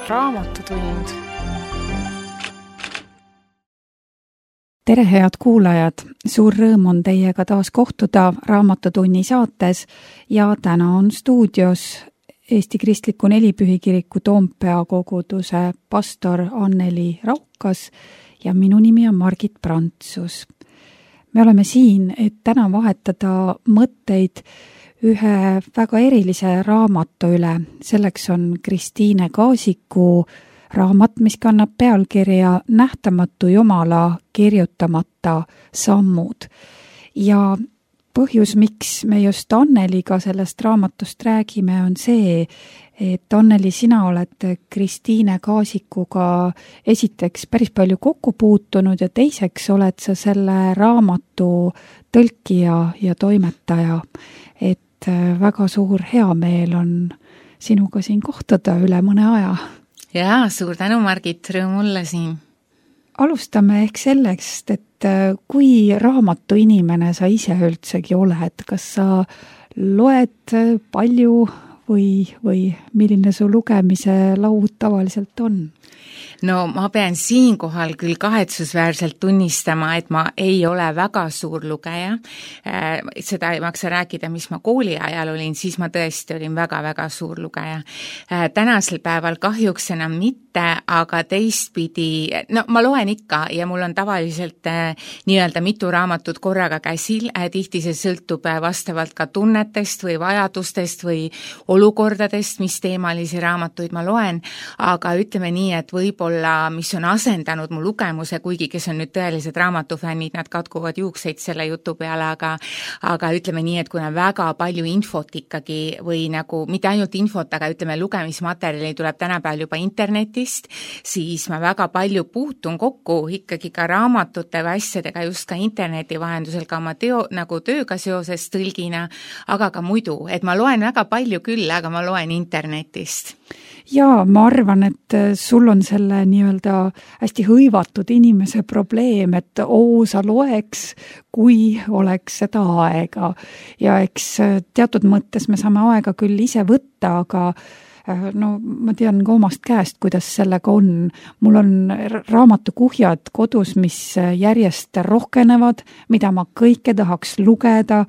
Raamatutund. Tere, head kuulajad! Suur rõõm on teiega taas kohtuda Raamatutunni saates ja täna on stuudios Eesti Kristliku Nelipühikiriku Toompea koguduse pastor Anneli Raukas ja minu nimi on Margit Prantsus. Me oleme siin, et täna vahetada mõtteid ühe väga erilise raamatu üle. Selleks on Kristiine Kaasiku raamat, mis kannab pealkirja Nähtamatu Jumala kirjutamata sammud. Ja põhjus, miks me just Anneliga sellest raamatust räägime, on see, et Anneli, sina oled Kristiine Kaasikuga esiteks päris palju kokku puutunud ja teiseks oled sa selle raamatu tõlkija ja toimetaja. Et väga suur heameel on sinuga siin kohtuda üle mõne aja. Jaa, suur tänu, Margit, rõõm olla siin. Alustame ehk selleks, et kui raamatu inimene sa ise üldsegi oled, kas sa loed palju või milline su lugemise laud tavaliselt on? No ma pean siinkohal küll kahetsusväärselt tunnistama, et ma ei ole väga suur lugeja. Seda ei maksa rääkida, mis ma kooli ajal olin, siis ma tõesti olin väga-väga suur lugeja. Tänasel päeval kahjuks enam mitte, aga teistpidi, no ma loen ikka ja mul on tavaliselt nii-öelda mitu raamatut korraga käsil. Tihti see sõltub vastavalt ka tunnetest või vajadustest või olukordadest, mis teemalisi raamatuid ma loen, aga ütleme nii, et võib-olla, mis on asendanud mu lugemuse, kuigi kes on nüüd tõelised raamatufännid, nad katkuvad juukseid selle jutu peale, aga ütleme nii, et kuna väga palju infot ikkagi või nagu, mitte ainult infot, aga ütleme lugemismaterjali tuleb tänapäeval juba internetist, siis ma väga palju puutun kokku ikkagi ka raamatute või asjadega just ka interneti vahendusel ka oma nagu tööga seoses tõlgina, aga ka muidu, et ma loen väga palju küll, aga ma loen internetist. Jaa, ma arvan, et sul on selle nii-öelda hästi hõivatud inimese probleem, et sa loeks, kui oleks seda aega. Ja eks teatud mõttes me saame aega küll ise võtta, aga no ma tean ka omast käest, kuidas sellega on. Mul on raamatukuhjad kodus, mis järjest rohkenevad, mida ma kõike tahaks lugeda.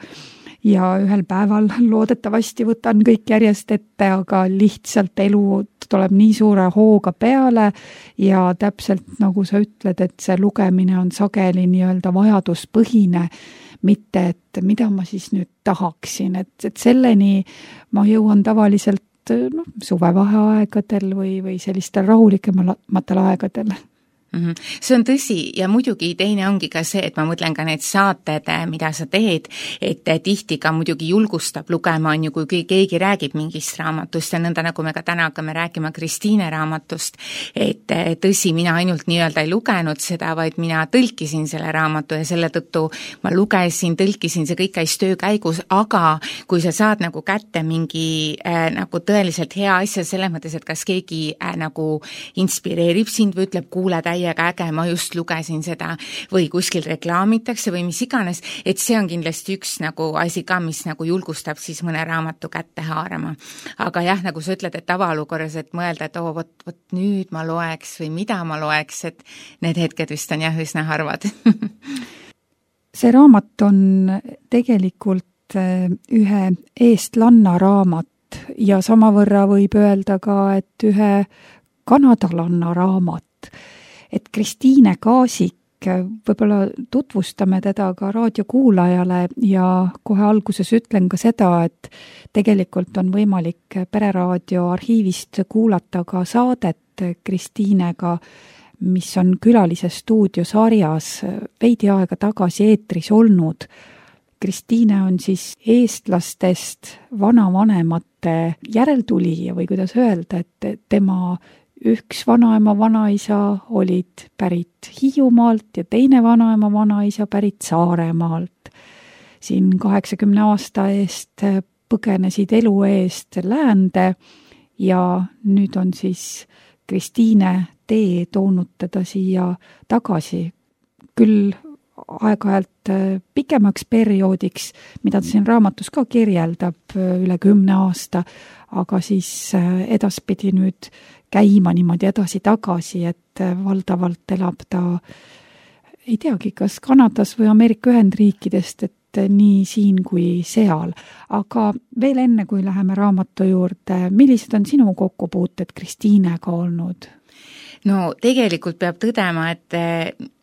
Ja ühel päeval loodetavasti võtan kõik järjest ette, aga lihtsalt elu tuleb nii suure hooga peale ja täpselt nagu sa ütled, et see lugemine on sageli nii-öelda vajaduspõhine, mitte et mida ma siis nüüd tahaksin, et selleni ma jõuan tavaliselt suvevaheaegadel või sellistel rahulikematel aegadel. See on tõsi ja muidugi teine ongi ka see, et ma mõtlen ka need saated, mida sa teed, et tihti ka muidugi julgustab lugema, on ju, kui keegi räägib mingist raamatust ja nõnda nagu me ka täna hakkame rääkima Kristiine raamatust, et tõsi, mina ainult nii-öelda ei lugenud seda, vaid mina tõlkisin selle raamatu ja selle tõttu ma lugesin, tõlkisin, see kõik käis töö käigus, aga kui sa saad nagu kätte mingi nagu tõeliselt hea asja selles mõttes, et kas keegi nagu inspireerib sind või ütleb, kuule täiega äge, ma just lugesin seda või kuskil reklaamitakse või mis iganes, et see on kindlasti üks nagu asi ka, mis nagu julgustab siis mõne raamatu kätte haarama. Aga jah, nagu sa ütled, et tavaolukorras, et mõelda, et vot nüüd ma loeks või mida ma loeks, et need hetked vist on jah üsna harvad. See raamat on tegelikult ühe eestlanna raamat ja samavõrra võib öelda ka, et ühe kanadalanna raamat. Et Kristiine Kaasik, võib-olla tutvustame teda ka raadiokuulajale ja kohe alguses ütlen ka seda, et tegelikult on võimalik Pereraadio arhiivist kuulata ka saadet Kristiinega, mis on Külalise stuudio sarjas veidi aega tagasi eetris olnud. Kristiine on siis eestlastest vanavanemate järeltulija või kuidas öelda, et tema üks vanaema vanaisa olid pärit Hiiumaalt ja teine vanaema vanaisa pärit Saaremaalt. Siin 80 aasta eest põgenesid elu eest läände ja nüüd on siis Kristiine tee toonud teda siia tagasi. Küll aeg-ajalt pikemaks perioodiks, mida ta siin raamatus ka kirjeldab üle 10 aasta, aga siis edaspidi nüüd käima niimoodi edasi-tagasi, et valdavalt elab ta, ei teagi, kas Kanadas või Ameerika Ühendriikidest, et nii siin kui seal. Aga veel enne, kui läheme raamatu juurde, millised on sinu kokkupuuted Kristiinega olnud? No tegelikult peab tõdema, et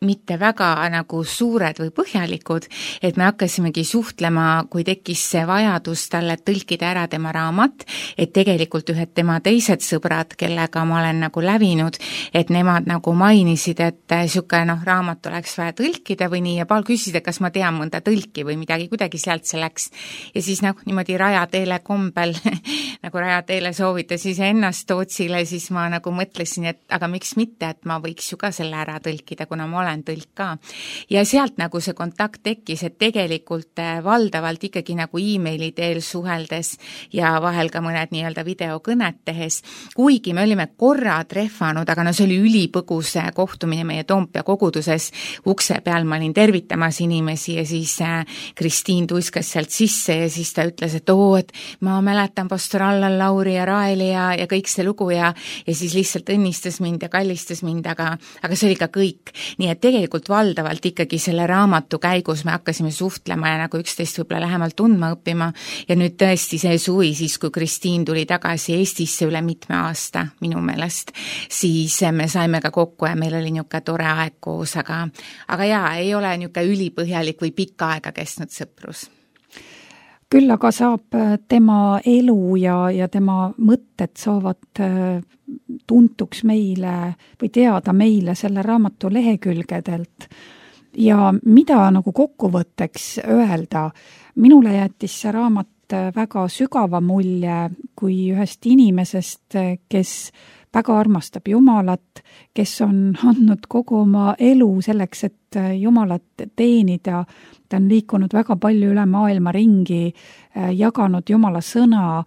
mitte väga nagu suured või põhjalikud, et me hakkasimegi suhtlema, kui tekkis see vajadus talle tõlkida ära tema raamat, et tegelikult ühed tema teised sõbrad, kellega ma olen nagu lävinud, et nemad nagu mainisid, et siuke raamat oleks vaja tõlkida või nii, ja Paul küsisid, et kas ma tean mõnda tõlki või midagi, kuidagi sealt see läks. Ja siis niimoodi rajateele kombel, nagu rajateele soovitas ennast Tootsile, siis ma nagu mõtlesin, et aga miks mitte, et ma võiks ju ka selle ära tõlkida, kuna ma olen tõlk ka. Ja sealt nagu see kontakt tekkis, et tegelikult valdavalt ikkagi nagu e-maili teel suheldes ja vahel ka mõned nii-öelda videokõned tehes, kuigi me olime korra trehvanud, aga see oli ülipõgus kohtumine meie Toompea koguduses, ukse peal ma olin tervitamas inimesi ja siis Kristiin tuiskas sealt sisse ja siis ta ütles, et et ma mäletan pastor Allan Lauri ja Raeli ja kõik see lugu ja siis lihtsalt õnnistas mind ja kallistas mind, aga see oli ka kõik. Nii et tegelikult valdavalt ikkagi selle raamatu käigus me hakkasime suhtlema ja nagu üksteist võib-olla lähemalt tundma õppima ja nüüd tõesti see suvi, siis kui Kristiin tuli tagasi Eestisse üle mitme aasta minu meelest, siis me saime ka kokku ja meil oli niisugune tore aeg koos, aga jaa, ei ole niisugune ülipõhjalik või pikka aega kestnud sõprus. Küll aga saab tema elu ja tema mõtted saavad tuntuks meile või teada meile selle raamatu lehekülgedelt. Ja mida nagu kokkuvõtteks öelda, minule jättis see raamat väga sügava mulje kui ühest inimesest, kes väga armastab Jumalat, kes on andnud kogu oma elu selleks, et Jumalat teenida. Ta on liikunud väga palju üle maailma ringi, jaganud Jumala sõna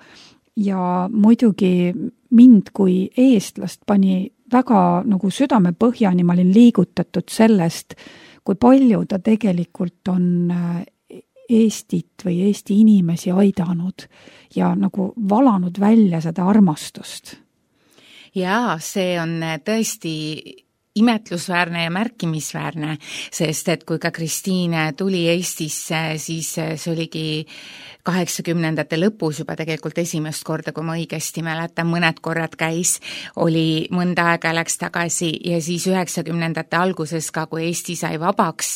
ja muidugi mind kui eestlast pani väga nagu südame põhjani, ma olin liigutatud sellest, kui palju ta tegelikult on Eestit või Eesti inimesi aidanud ja nagu valanud välja seda armastust. Jaa, see on tõesti imetlusväärne ja märkimisväärne, sest et kui ka Kristiin tuli Eestisse, siis see oligi 80ndate lõpus juba tegelikult esimest korda, kui ma õigesti mäletan, mõned korrad käis, oli mõnda aega läks tagasi ja siis 90ndate alguses ka, kui Eesti sai vabaks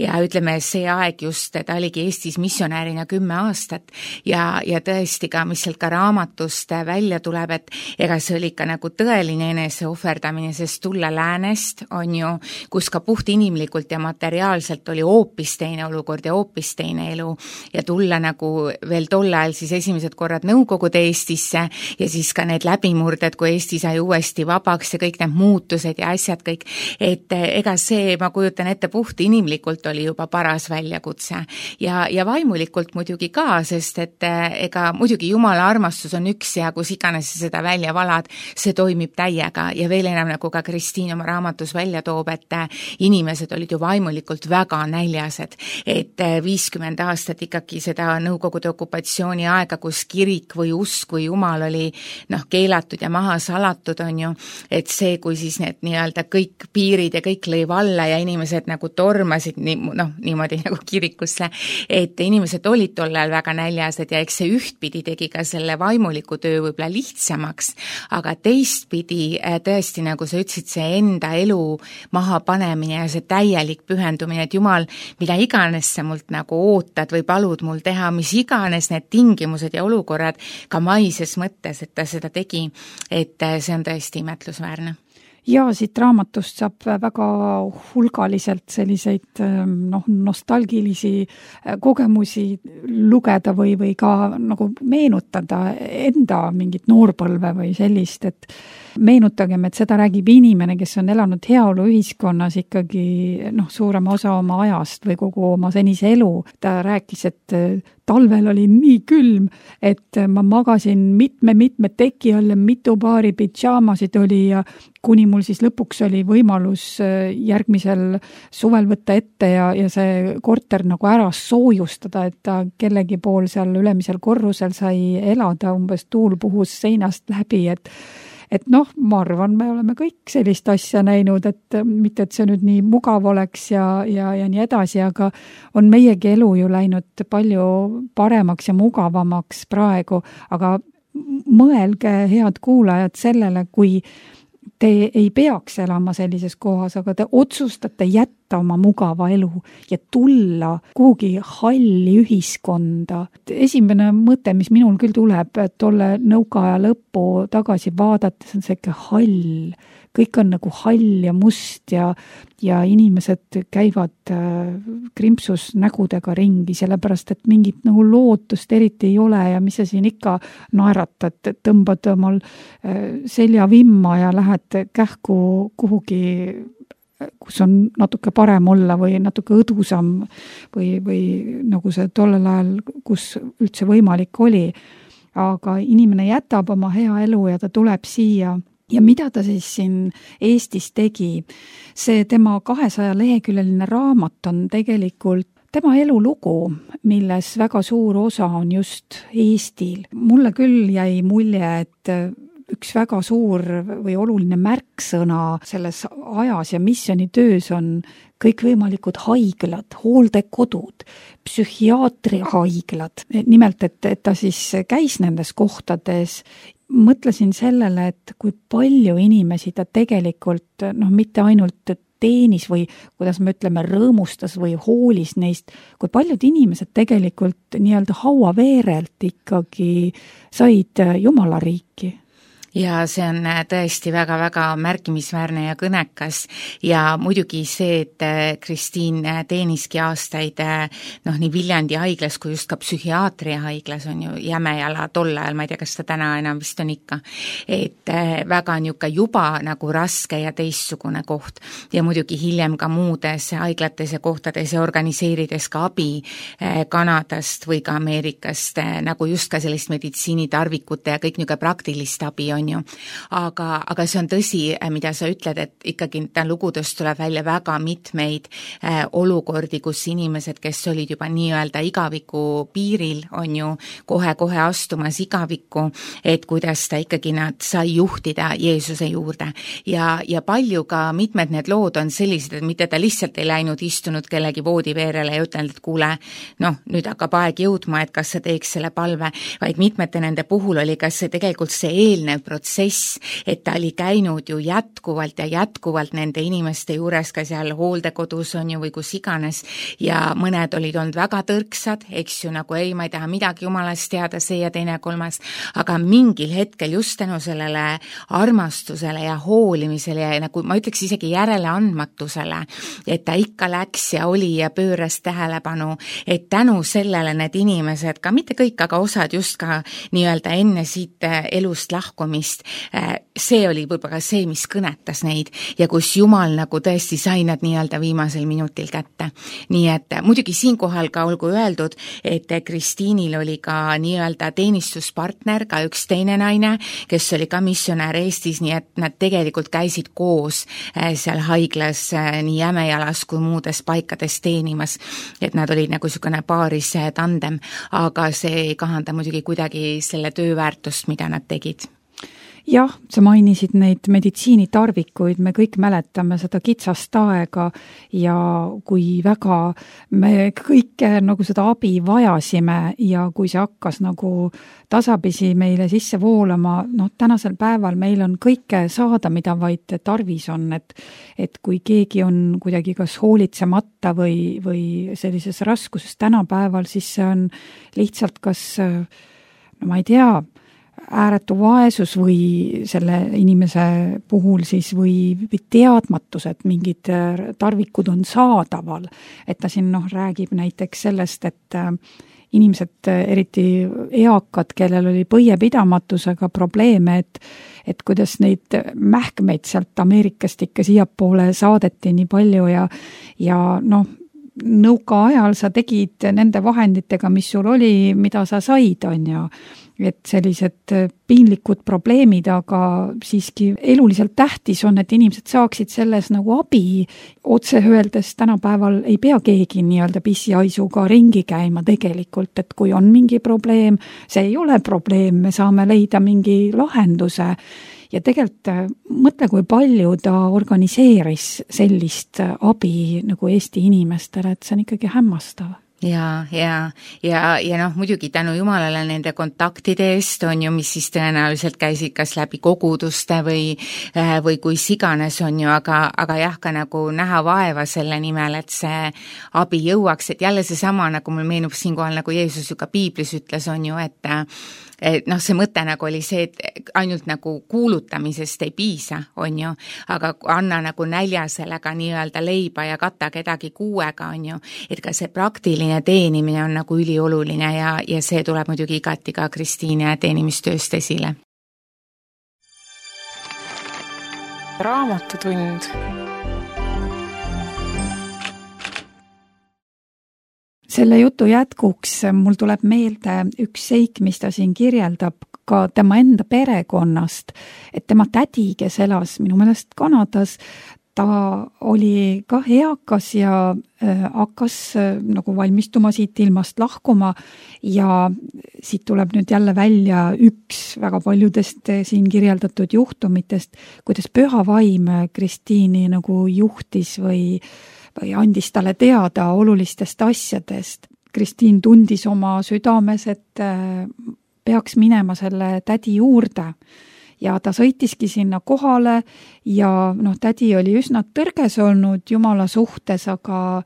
ja ütleme, see aeg just, ta oligi Eestis missionäärina 10 aastat ja tõesti ka, mis sealt ka raamatust välja tuleb, et ega see oli ikka nagu tõeline eneseohverdamine, sest tulla läänest on ju, kus ka puht inimlikult ja materiaalselt oli hoopis teine olukord ja hoopis teine elu ja tulla nagu veel tol ajal siis esimesed korrad Nõukogude Eestisse ja siis ka need läbimurded, kui Eesti sai uuesti vabaks ja kõik need muutused ja asjad kõik, et ega see, ma kujutan ette, puht inimlikult oli juba paras väljakutse ja vaimulikult muidugi ka, sest et ega muidugi Jumala armastus on üks ja kus iganes seda välja valad, see toimib täiega ja veel enam nagu ka Kristiin oma raamatus välja toob, et inimesed olid ju vaimulikult väga näljased, et 50 aastat ikkagi seda Nõukogude okupatsiooni aega, kus kirik või usk või Jumal oli keelatud ja maha salatud on ju, et see, kui siis need nii-öelda kõik piirid ja kõik lõi valla ja inimesed nagu tormasid niimoodi nagu kirikusse, et inimesed olid tol ajal väga näljased ja eks see ühtpidi tegi ka selle vaimuliku töö võib-olla lihtsamaks, aga teistpidi tõesti, nagu sa ütlesid, see enda elu maha panemine ja see täielik pühendumine, et Jumal, mida iganes sa mult nagu ootad või palud mul teha, mis iganes need tingimused ja olukorrad ka maises mõttes, et ta seda tegi, et see on tõesti imetlusväärne. Ja siit raamatust saab väga hulgaliselt selliseid nostalgilisi kogemusi lugeda või ka nagu meenutada enda mingit noorpõlve või sellist, et meenutagem, et seda räägib inimene, kes on elanud heaoluühiskonnas ikkagi suurema osa oma ajast või kogu oma senise elu. Ta rääkis, et talvel oli nii külm, et ma magasin mitme teki all ja mitu paari pidžaamasid oli ja kuni mul siis lõpuks oli võimalus järgmisel suvel võtta ette ja see korter nagu ära soojustada, et ta kellegi pool seal ülemisel korrusel sai elada, umbes tuul puhus seinast läbi, et ma arvan, me oleme kõik sellist asja näinud, et mitte, et see nüüd nii mugav oleks ja nii edasi, aga on meiegi elu ju läinud palju paremaks ja mugavamaks praegu, aga mõelge, head kuulajad, sellele, kui te ei peaks elama sellises kohas, aga te otsustate jätta oma mugava elu ja tulla kuhugi halli ühiskonda. Esimene mõte, mis minul küll tuleb, tolle nõukaaja lõppu tagasi vaadates on see ikka hall. Kõik on nagu hall ja must ja inimesed käivad krimpsus nägudega ringi, sellepärast, et mingit nagu lootust eriti ei ole ja mis sa siin ikka naeratad, tõmbad omal selja vimma ja lähed kähku kuhugi, kus on natuke parem olla või natuke õdusam või nagu see tollel ajal, kus üldse võimalik oli. Aga inimene jätab oma hea elu ja ta tuleb siia. Ja mida ta siis siin Eestis tegi? See tema 200-leheküljeline raamat on tegelikult tema elulugu, milles väga suur osa on just Eestil. Mulle küll jäi mulje, et üks väga suur või oluline märksõna selles ajas ja missionitöös on kõikvõimalikud haiglad, hooldekodud, psühhiaatrihaiglad. Nimelt, et ta siis käis nendes kohtades. Mõtlesin sellele, et kui palju inimesi ta tegelikult, mitte ainult teenis või kuidas me ütleme, rõõmustas või hoolis neist, kui paljud inimesed tegelikult nii-öelda hauaveerelt ikkagi said Jumala riiki. Ja see on tõesti väga-väga märkimisväärne ja kõnekas ja muidugi see, et Kristiin teeniski aastaid nii Viljandi haiglas kui just ka psühhiaatria haiglas on ju Jämejala tol ajal, ma ei tea, kas ta täna enam vist on ikka, et väga niisugune juba nagu raske ja teistsugune koht ja muidugi hiljem ka muudes haiglates ja kohtades ja organiseerides ka abi Kanadast või ka Ameerikast nagu just ka sellist meditsiinitarvikute ja kõik niisugune praktilist abi on ju. Aga see on tõsi, mida sa ütled, et ikkagi ta lugudest tuleb välja väga mitmeid olukordi, kus inimesed, kes olid juba nii-öelda igaviku piiril, on ju kohe-kohe astumas igavikku, et kuidas ta ikkagi nad sai juhtida Jeesuse juurde. Ja palju ka mitmed need lood on sellised, et mitte ta lihtsalt ei läinud istunud kellegi voodiveerele ja ütelnud, et kuule, nüüd hakkab aeg jõudma, et kas sa teeks selle palve, vaid mitmete nende puhul oli kas see tegelikult see eelnev protsess, et ta oli käinud ju jätkuvalt nende inimeste juures ka seal hooldekodus on ju või kus iganes ja mõned olid olnud väga tõrksad, eks ju, nagu ei, ma ei taha midagi jumalast teada, see ja teine kolmas, aga mingil hetkel just tänu sellele armastusele ja hoolimisele ja nagu ma ütleks isegi järeleandmatusele, et ta ikka läks ja oli ja pööras tähelepanu, et tänu sellele need inimesed, ka mitte kõik, aga osad just ka nii-öelda enne siit elust lahkumist, see oli võib-olla see, mis kõnetas neid ja kus Jumal nagu tõesti sai nad nii-öelda viimasel minutil kätte. Nii et muidugi siinkohal ka olgu öeldud, et Kristiinil oli ka nii-öelda teenistuspartner, ka üks teine naine, kes oli ka missionär Eestis, nii et nad tegelikult käisid koos seal haiglas nii Jämejalas kui muudes paikades teenimas, et nad olid nagu niisugune paaris tandem, aga see ei kahanda muidugi kuidagi selle tööväärtust, mida nad tegid. Jah, sa mainisid neid meditsiinitarvikuid, me kõik mäletame seda kitsast aega ja kui väga me kõike nagu seda abi vajasime ja kui see hakkas nagu tasapisi meile sisse voolama, tänasel päeval meil on kõike saada, mida vaid tarvis on, et kui keegi on kuidagi kas hoolitsemata või sellises raskuses tänapäeval, siis see on lihtsalt kas, ma ei tea, ääretu vaesus või selle inimese puhul siis või teadmatus, et mingid tarvikud on saadaval. Et ta siin räägib näiteks sellest, et inimesed, eriti eakad, kellel oli põiepidamatusega probleeme, et kuidas neid mähkmeid sealt Ameerikast ikka siiapoole saadeti nii palju ja noh, nõukaajal sa tegid nende vahenditega, mis sul oli, mida sa said, on ju. Et sellised piinlikud probleemid, aga siiski eluliselt tähtis on, et inimesed saaksid selles nagu abi. Otse öeldes tänapäeval ei pea keegi nii-öelda pissiaisuga ringi käima tegelikult, et kui on mingi probleem, see ei ole probleem, me saame leida mingi lahenduse. Ja tegelikult mõtle, kui palju ta organiseeris sellist abi nagu Eesti inimestele, et see on ikkagi hämmastav. Ja noh, muidugi tänu Jumalale nende kontaktide eest on ju, mis siis tõenäoliselt käisid kas läbi koguduste või kuis iganes on ju, aga jah, ka nagu näha vaeva selle nimel, et see abi jõuaks, et jälle seesama, nagu mul meenub siinkohal, nagu Jeesus ju ka Piiblis ütles, on ju, et noh, see mõte nagu oli see, et ainult nagu kuulutamisest ei piisa, on ju, aga anna nagu näljasele ka nii-öelda leiba ja kata kedagi kuuega, on ju, et ka see praktiline teenimine on nagu ülioluline ja see tuleb muidugi igati ka Kristiine teenimistööst esile. Raamatutund. Selle jutu jätkuks mul tuleb meelde üks seik, mis ta siin kirjeldab ka tema enda perekonnast, et tema tädi, kes elas minu meelest Kanadas, ta oli ka eakas ja hakkas nagu valmistuma siit ilmast lahkuma ja siit tuleb nüüd jälle välja üks väga paljudest siin kirjeldatud juhtumitest, kuidas Püha Vaim Kristiini nagu juhtis või andis talle teada olulistest asjadest. Kristiin tundis oma südames, et peaks minema selle tädi juurde ja ta sõitiski sinna kohale ja noh, tädi oli üsna tõrges olnud Jumala suhtes, aga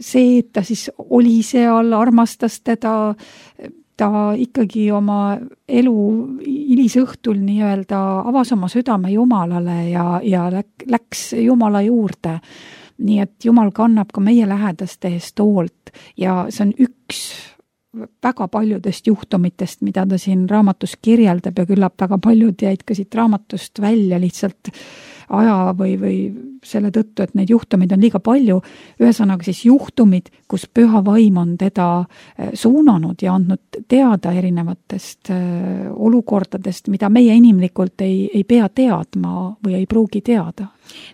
see, et ta siis oli seal, armastas teda, ta ikkagi oma elu hilisõhtul nii-öelda avas oma südame Jumalale ja läks Jumala juurde. Nii et Jumal kannab ka meie lähedaste eest hoolt ja see on üks väga paljudest juhtumitest, mida ta siin raamatus kirjeldab ja küllap väga paljud jäid ka siit raamatust välja lihtsalt aja või selle tõttu, et neid juhtumid on liiga palju. Ühesõnaga siis juhtumid, kus Püha Vaim on teda suunanud ja andnud teada erinevatest olukordadest, mida meie inimlikult ei pea teadma või ei pruugi teada.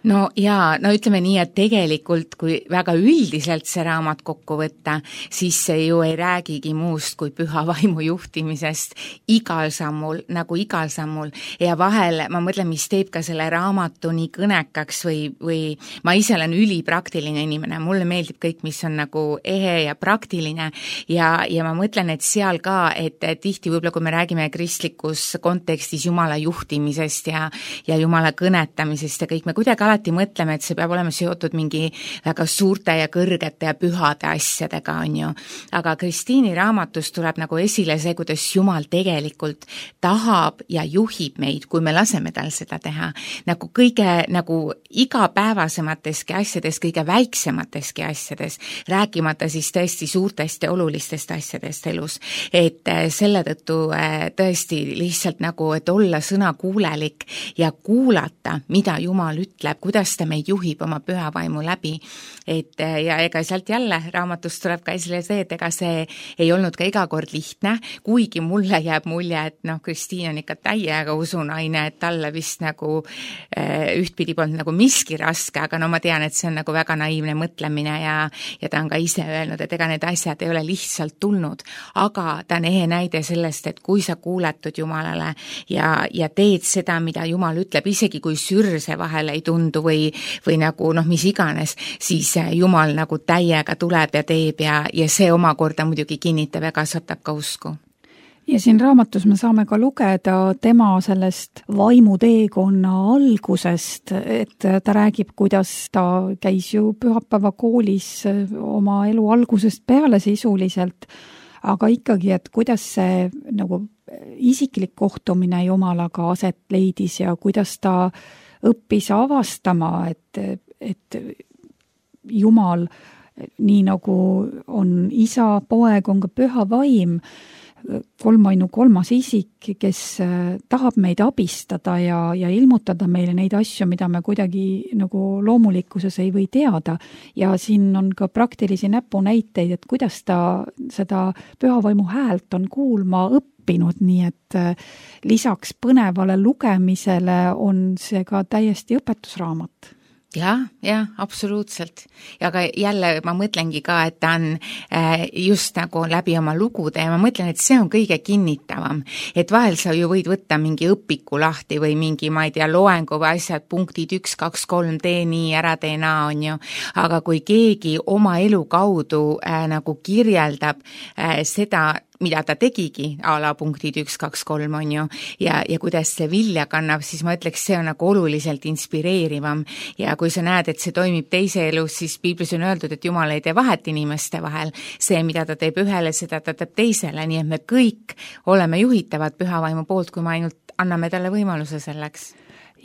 No ütleme nii, et tegelikult kui väga üldiselt see raamat kokku võtta, siis see ju ei räägigi muust kui Püha Vaimu juhtimisest igal sammul ja vahel ma mõtlen, mis teeb ka selle raamatu nii kõnekaks või ma ise olen ülipraktiline inimene, mulle meeldib kõik, mis on nagu ehe ja praktiline ja ma mõtlen, et seal ka, et tihti võib-olla kui me räägime kristlikus kontekstis Jumala juhtimisest ja Jumala kõnetamisest ja kõik, me kuidagi alati mõtleme, et see peab olema seotud mingi väga suurte ja kõrgete ja pühade asjadega, on ju. Aga Kristiini raamatus tuleb nagu esile see, kuidas Jumal tegelikult tahab ja juhib meid, kui me laseme tal seda teha. Nagu kõige nagu igapäevasemateski asjades, kõige väiksemateski asjades, rääkimata siis tõesti suurtest ja olulistest asjadest elus. Et selle tõttu tõesti lihtsalt nagu, et olla sõnakuulelik ja kuulata, mida Jumal ütleb, kuidas ta meid juhib oma Püha Vaimu läbi. Et ja ega sealt jälle raamatust tuleb ka esile see, et ega see ei olnud ka iga kord lihtne, kuigi mulle jääb mulje, et Kristiin on ikka täiega usunaine, et talle vist nagu ühtpidi polnud nagu miski raske, aga ma tean, et see on nagu väga naiivne mõtlemine ja ta on ka ise öelnud, et ega need asjad ei ole lihtsalt tulnud, aga ta on ehe näide sellest, et kui sa kuuletud Jumalale ja teed seda, mida Jumal ütleb, isegi kui sürse vahel ei tundu või nagu mis iganes, siis Jumal nagu täiega tuleb ja teeb ja see omakorda muidugi kinnitab ja kasvatab ka usku. Ja siin raamatus me saame ka lugeda tema sellest vaimuteekonna algusest, et ta räägib, kuidas ta käis ju pühapäevakoolis oma elu algusest peale sisuliselt, aga ikkagi, et kuidas see nagu isiklik kohtumine Jumalaga aset leidis ja kuidas ta õppis avastama, et Jumal nii nagu on isa, poeg, on ka püha vaim, kolmainu kolmas isik, kes tahab meid abistada ja ilmutada meile neid asju, mida me kuidagi nagu loomulikkuses ei või teada. Ja siin on ka praktilisi näpunäiteid, et kuidas ta seda pühavaimu häält on kuulma õppinud, nii et lisaks põnevale lugemisele on see ka täiesti õpetusraamat. Jah, absoluutselt. Ja aga jälle ma mõtlengi ka, et ta on just nagu läbi oma lugude ja ma mõtlen, et see on kõige kinnitavam. Et vahel sa ju võid võtta mingi õpiku lahti või mingi, ma ei tea, loengu või asjad, punktid 1, 2, 3, tee nii, ära tee naa, on ju. Aga kui keegi oma elu kaudu nagu kirjeldab seda, mida ta tegigi, a la punktid 1, 2, 3 on ju, ja kuidas see vilja kannab, siis ma ütleks, see on nagu oluliselt inspireerivam. Ja kui sa näed, et see toimib teise elus, siis piiblis on öeldud, et Jumal ei tee vahet inimeste vahel. See, mida ta teeb ühele, seda ta teeb teisele, nii et me kõik oleme juhitavad pühavaimu poolt, kui me ainult anname talle võimaluse selleks.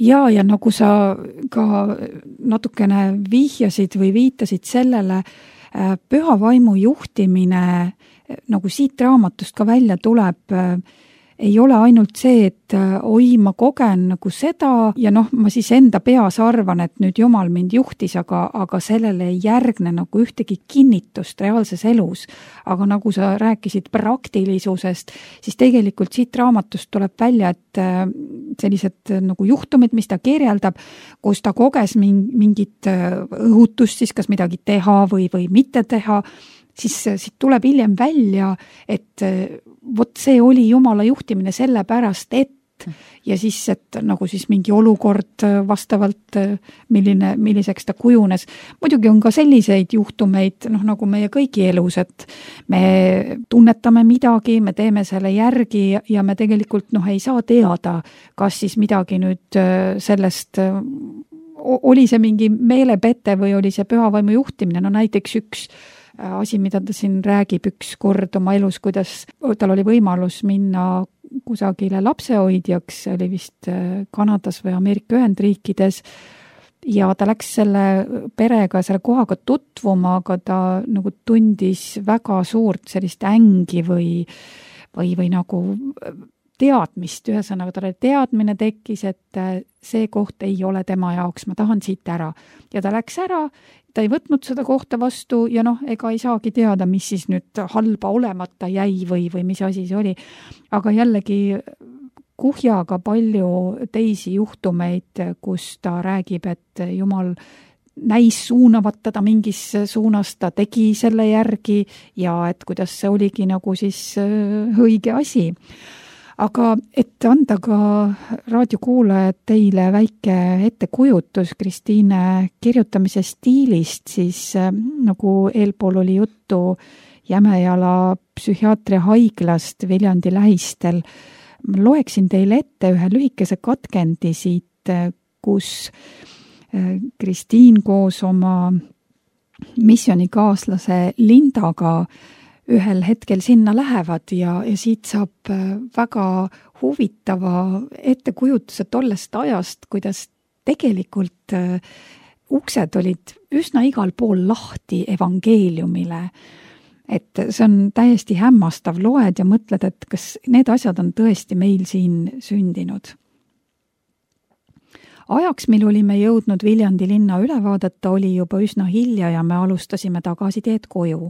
Ja nagu sa ka natukene vihjasid või viitasid sellele, pühavaimu juhtimine nagu siit raamatust ka välja tuleb, ei ole ainult see, et oi, ma kogen nagu seda ja ma siis enda peas arvan, et nüüd Jumal mind juhtis, aga sellele ei järgne nagu ühtegi kinnitust reaalses elus. Aga nagu sa rääkisid praktilisusest, siis tegelikult siit raamatust tuleb välja, et sellised nagu juhtumid, mis ta kirjeldab, kus ta koges mingit õhutust siis kas midagi teha või mitte teha, siis siit tuleb hiljem välja, et vot see oli Jumala juhtimine selle pärast, et ja siis, et nagu siis mingi olukord vastavalt, milliseks ta kujunes. Muidugi on ka selliseid juhtumeid, nagu meie kõigi elus, et me tunnetame midagi, me teeme selle järgi ja me tegelikult ei saa teada, kas siis midagi nüüd sellest oli see mingi meelepete või oli see pühavaimu juhtimine. Näiteks üks asi, mida ta siin räägib üks kord oma elus, kuidas tal oli võimalus minna kusagile lapsehoidjaks, oli vist Kanadas või Ameerika Ühendriikides, ja ta läks selle perega, selle kohaga tutvuma, aga ta nagu tundis väga suurt sellist ängi või nagu teadmist, ühesõnaga talle teadmine tekkis, et see koht ei ole tema jaoks, ma tahan siit ära. Ja ta läks ära, ta ei võtnud seda kohta vastu ja ega ei saagi teada, mis siis nüüd halba olemata jäi või mis asi see oli. Aga jällegi kuhjaga palju teisi juhtumeid, kus ta räägib, et Jumal näis suunavat teda mingis suunas, ta tegi selle järgi ja et kuidas see oligi nagu siis õige asi. Aga et anda ka raadiokuulajad teile väike ettekujutus Kristiine kirjutamise stiilist, siis nagu eelpool oli juttu Jämejala psühhiaatria haiglast Viljandi lähistel, ma loeksin teile ette ühe lühikese katkendi siit, kus Kristiin koos oma missionikaaslase Lindaga ühel hetkel sinna lähevad ja siit saab väga huvitava ettekujutuse tollest ajast, kuidas tegelikult uksed olid üsna igal pool lahti evangeeliumile. Et see on täiesti hämmastav, loed ja mõtled, et kas need asjad on tõesti meil siin sündinud. Ajaks, mil olime jõudnud Viljandi linna üle vaadata, oli juba üsna hilja ja me alustasime tagasiteed koju.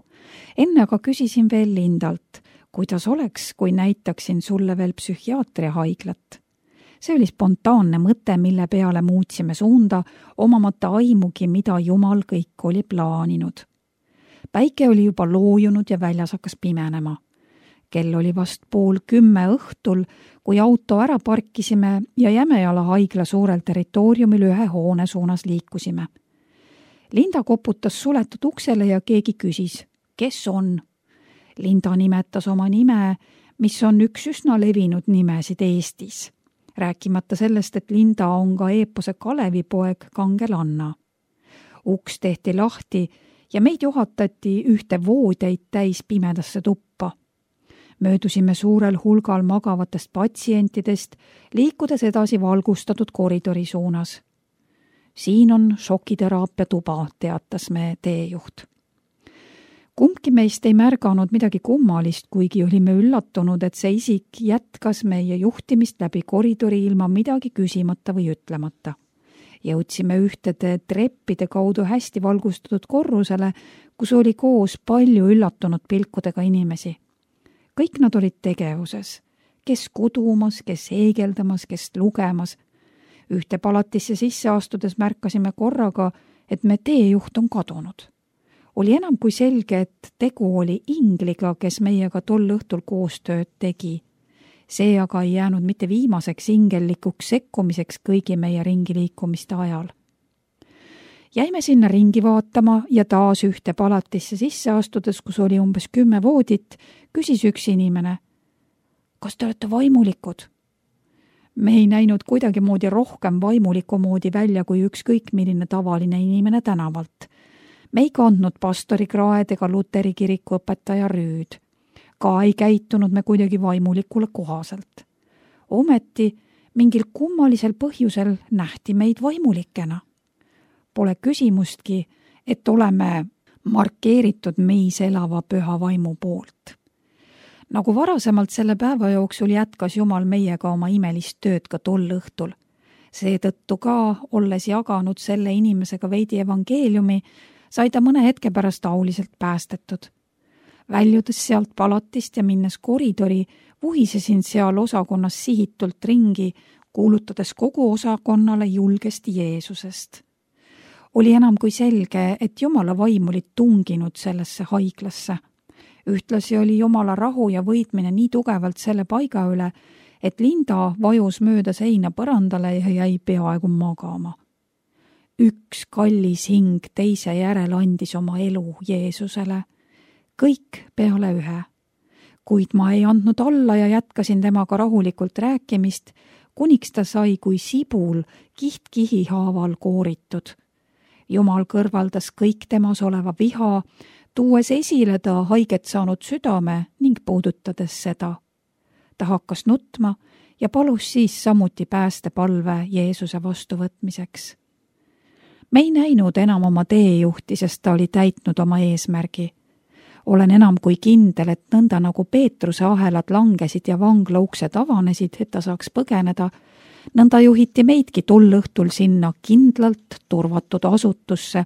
Enne aga küsisin veel Lindalt, kuidas oleks, kui näitaksin sulle veel psühhiaatria haiglat. See oli spontaanne mõte, mille peale muutsime suunda, omamata aimugi, mida Jumal kõik oli plaaninud. Päike oli juba loojunud ja väljas hakkas pimenema. Kell oli vast 9:30 õhtul, kui auto ära parkisime ja Jämejala haigla suurel territooriumil ühe hoone suunas liikusime. Linda koputas suletud uksele ja keegi küsis, kes on? Linda nimetas oma nime, mis on üks üsna levinud nimesid Eestis. Rääkimata sellest, et Linda on ka eepose Kalevipoeg Kangelanna. Uks tehti lahti ja meid juhatati ühte voodeid täis pimedasse tuppa. Möödusime suurel hulgal magavatest patsientidest, liikudes edasi valgustatud koridori suunas. Siin on šokiteraapia tuba, teatas me teejuht. Kumbki meist ei märganud midagi kummalist, kuigi olime üllatunud, et see isik jätkas meie juhtimist läbi koridori ilma midagi küsimata või ütlemata. Jõudsime ühtede treppide kaudu hästi valgustatud korrusele, kus oli koos palju üllatunud pilkudega inimesi. Kõik nad olid tegevuses, kes kudumas, kes heegeldamas, kes lugemas. Ühte palatisse sisse astudes märkasime korraga, et me teejuht on kadunud. Oli enam kui selge, et tegu oli ingliga, kes meiega tol õhtul koostööd tegi. See aga ei jäänud mitte viimaseks ingellikuks sekkumiseks kõigi meie ringi liikumiste ajal. Jäime sinna ringi vaatama ja taas ühte palatisse sisse astudes, kus oli umbes 10 voodit, küsis üks inimene: kas te olete vaimulikud? Me ei näinud kuidagi moodi rohkem vaimuliku moodi välja kui ükskõik milline tavaline inimene tänavalt. Me ei kandnud pastori kraed ega Luteri kiriku õpetaja rüüd. Ka ei käitunud me kuidagi vaimulikule kohaselt. Ometi mingil kummalisel põhjusel nähti meid vaimulikena. Pole küsimustki, et oleme markeeritud meis elava püha vaimu poolt. Nagu varasemalt selle päeva jooksul jätkas Jumal meiega oma imelist tööd ka tol õhtul. Seetõttu ka, olles jaganud selle inimesega veidi evangeeliumi, sai ta mõne hetke pärast auliselt päästetud. Väljudes sealt palatist ja minnes koridori, vuhisesin seal osakonnas sihitult ringi, kuulutades kogu osakonnale julgesti Jeesusest. Oli enam kui selge, et Jumala vaim oli tunginud sellesse haiglasse. Ühtlasi oli Jumala rahu ja võitmine nii tugevalt selle paiga üle, et Linda vajus mööda seina põrandale ja jäi peaaegu magama. Üks kallis hing teise järel andis oma elu Jeesusele. Kõik peale ühe. Kuid ma ei andnud alla ja jätkasin temaga rahulikult rääkimist, kuniks ta sai kui sibul kiht-kihi haaval kooritud. Jumal kõrvaldas kõik temas oleva viha, tuues esile ta haiget saanud südame ning puudutades seda. Ta hakkas nutma ja palus siis samuti päästepalve Jeesuse vastuvõtmiseks. Me ei näinud enam oma teejuhti, sest ta oli täitnud oma eesmärgi. Olen enam kui kindel, et nõnda nagu Peetruse ahelad langesid ja vangla uksed avanesid, et ta saaks põgeneda, nõnda juhiti meidki tol õhtul sinna kindlalt turvatud asutusse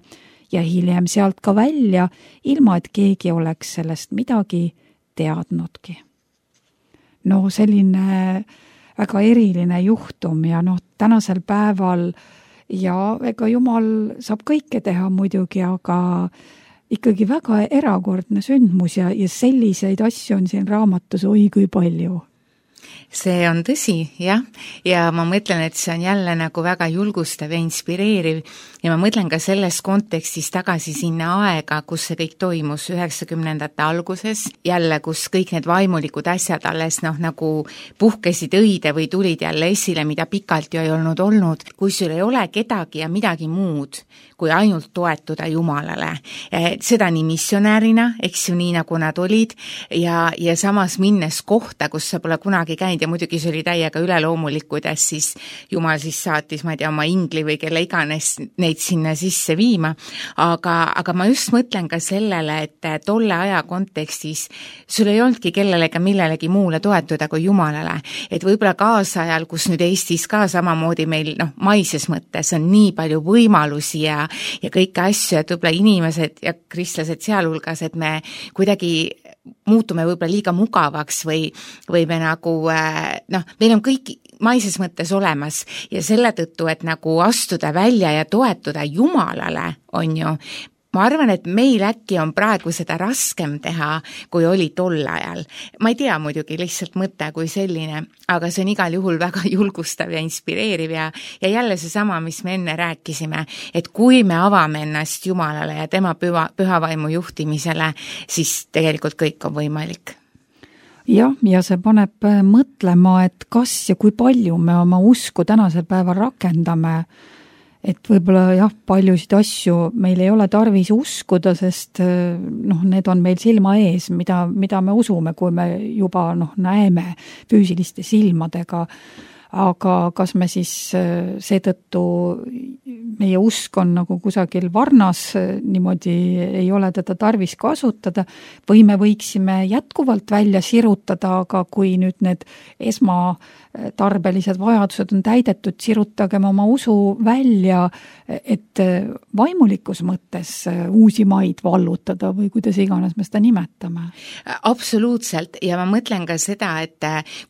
ja hiljem sealt ka välja, ilma et keegi oleks sellest midagi teadnudki. No selline väga eriline juhtum ja tänasel päeval ja ega Jumal saab kõike teha muidugi, aga ikkagi väga erakordne sündmus ja selliseid asju on siin raamatus oi kui palju. See on tõsi, jah, ja ma mõtlen, et see on jälle nagu väga julgustav ja inspireeriv ja ma mõtlen ka selles kontekstis tagasi sinna aega, kus see kõik toimus 90ndate alguses, jälle, kus kõik need vaimulikud asjad alles nagu puhkesid õide või tulid jälle esile, mida pikalt ju ei olnud, kui sul ei ole kedagi ja midagi muud, kui ainult toetuda Jumalale. Seda nii missionäärina, eks ju nii nagu nad olid ja samas minnes kohta, kus sa pole kunagi käinud ja muidugi see oli täiega üleloomulik, kuidas siis Jumal siis saatis, ma ei tea, oma ingli või kelle iganes neid sinna sisse viima, aga ma just mõtlen ka sellele, et tolle aja kontekstis sul ei olnudki kellelegi millelegi muule toetuda kui Jumalale, et võib-olla kaasajal, kus nüüd Eestis ka samamoodi meil maises mõttes on nii palju võimalusi ja kõike asju, et võib-olla inimesed ja kristlased sealhulgas, et me kuidagi muutume võib-olla liiga mugavaks või me nagu, meil on kõik maises mõttes olemas ja selle tõttu, et nagu astuda välja ja toetuda Jumalale, on ju, ma arvan, et meil äkki on praegu seda raskem teha, kui oli tol ajal. Ma ei tea muidugi lihtsalt mõte kui selline, aga see on igal juhul väga julgustav ja inspireeriv ja jälle seesama, mis me enne rääkisime, et kui me avame ennast Jumalale ja tema pühavaimu juhtimisele, siis tegelikult kõik on võimalik. Jah, ja see paneb mõtlema, et kas ja kui palju me oma usku tänasel päeval rakendame, et võib-olla paljusid asju meil ei ole tarvis uskuda, sest need on meil silma ees, mida me usume, kui me juba näeme füüsiliste silmadega. aga kas me siis seetõttu, meie usk on nagu kusagil varnas, niimoodi ei ole teda tarvis kasutada, või me võiksime jätkuvalt välja sirutada, aga kui nüüd need esmatarbelised vajadused on täidetud, sirutagem oma usu välja, et vaimulikus mõttes uusi maid vallutada või kuidas iganes me seda nimetame. Absoluutselt, ja ma mõtlen ka seda, et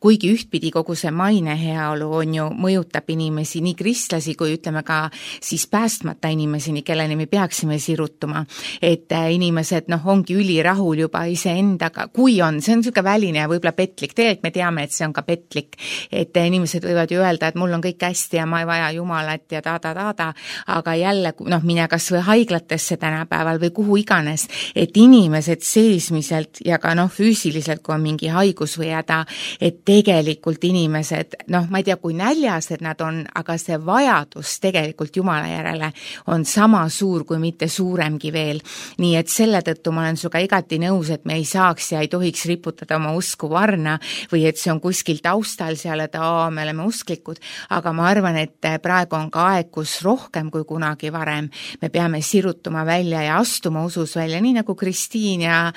kuigi ühtpidi kogu see maine heaolu on ju, mõjutab inimesi, nii kristlasi kui ütleme ka siis päästmata inimeseni, kelleni me peaksime sirutuma, et inimesed ongi ülirahul juba iseendaga, kui on, see on niisugune väline ja võib-olla petlik, tegelikult me teame, et see on ka petlik, et inimesed võivad ju öelda, et mul on kõik hästi ja ma ei vaja Jumalat ja ta-ta-ta-ta, aga jälle, mine kas või haiglatesse tänapäeval või kuhu iganes, et inimesed seesmiselt ja ka füüsiliselt, kui on mingi haigus või häda, et tegelikult inimesed, ma ei tea, kui näljased nad on, aga see vajadus tegelikult Jumala järele on sama suur, kui mitte suuremgi veel. Nii et selle tõttu ma olen suga igati nõus, et me ei saaks ja ei tohiks riputada oma usku varna või et see on kuskil taustal seal, et me oleme usklikud, aga ma arvan, et praegu on ka aeg, kus rohkem kui kunagi varem me peame sirutuma välja ja astuma usus välja, nii nagu Kristiin ja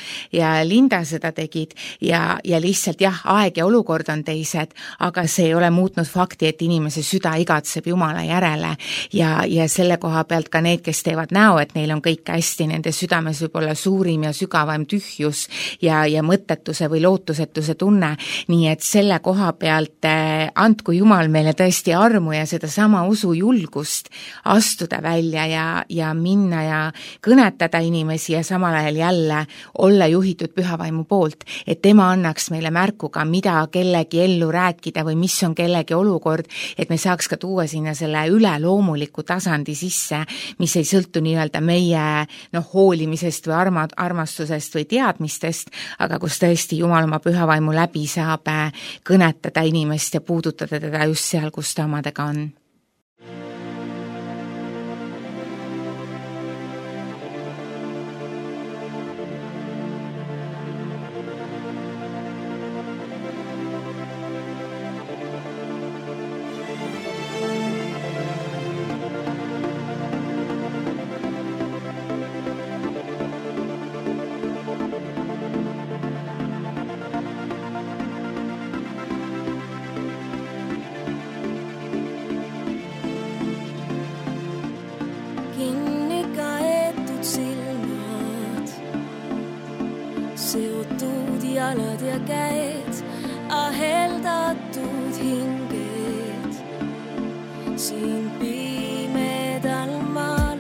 Linda seda tegid ja lihtsalt aeg ja olukord on teised, aga see ei ole muutnud fakti, et inimese süda igatseb Jumala järele ja selle koha pealt ka need, kes teevad näo, et neil on kõik hästi, nende südames võib olla suurim ja sügavam tühjus ja mõttetuse või lootusetuse tunne, nii et selle koha pealt andku Jumal meile tõesti armu ja seda sama usu julgust astuda välja ja minna ja kõnetada inimesi ja samal ajal jälle olla juhitud pühavaimu poolt, et tema annaks meile märku ka, mida kellegi ellu rääkida või mis on kellegi olukord, et me saaks ka tuua sinna selle üleloomuliku tasandi sisse, mis ei sõltu nii-öelda meie hoolimisest või armastusest või teadmistest, aga kus tõesti Jumal oma pühavaimu läbi saab kõnetada inimest ja puudutada teda just seal, kus ta omadega on. jalad ja käed, aheldatud hinged. Siin pimedal maal,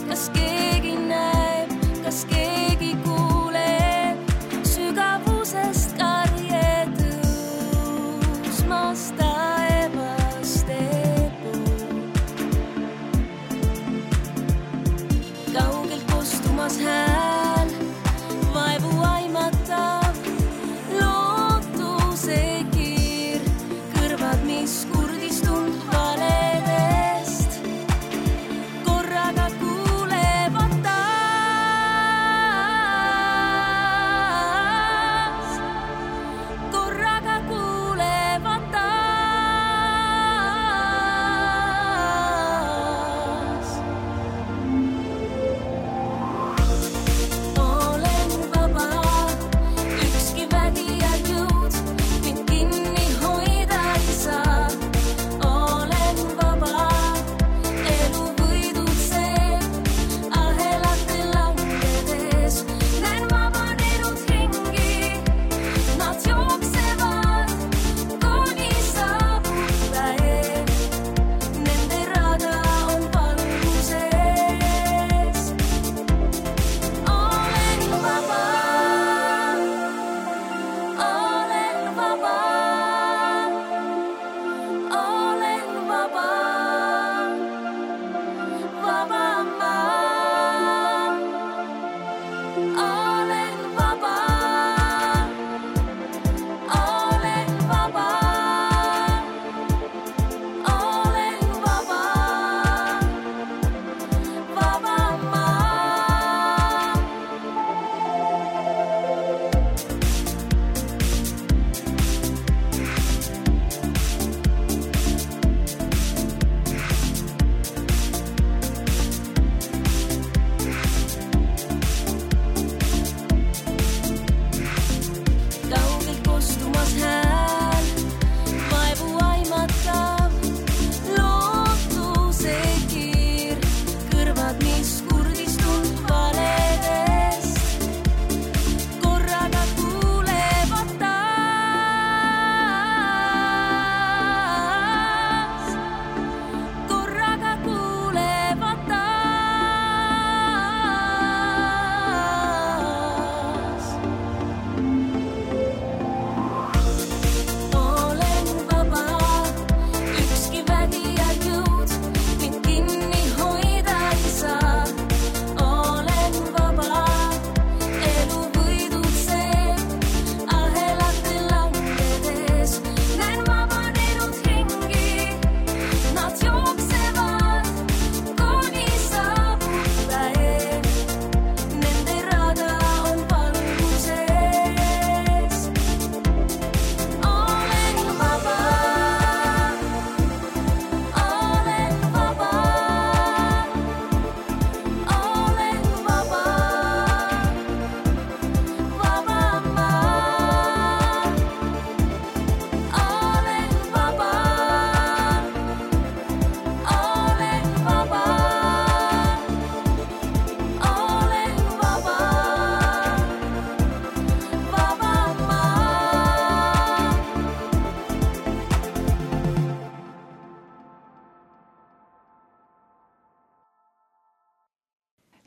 kas keegi näeb, kas keegi kuuleb, sügavusest karje tõusmas taevaste pool. Kaugelt kostumas hääl, vaevu aimatav, lootus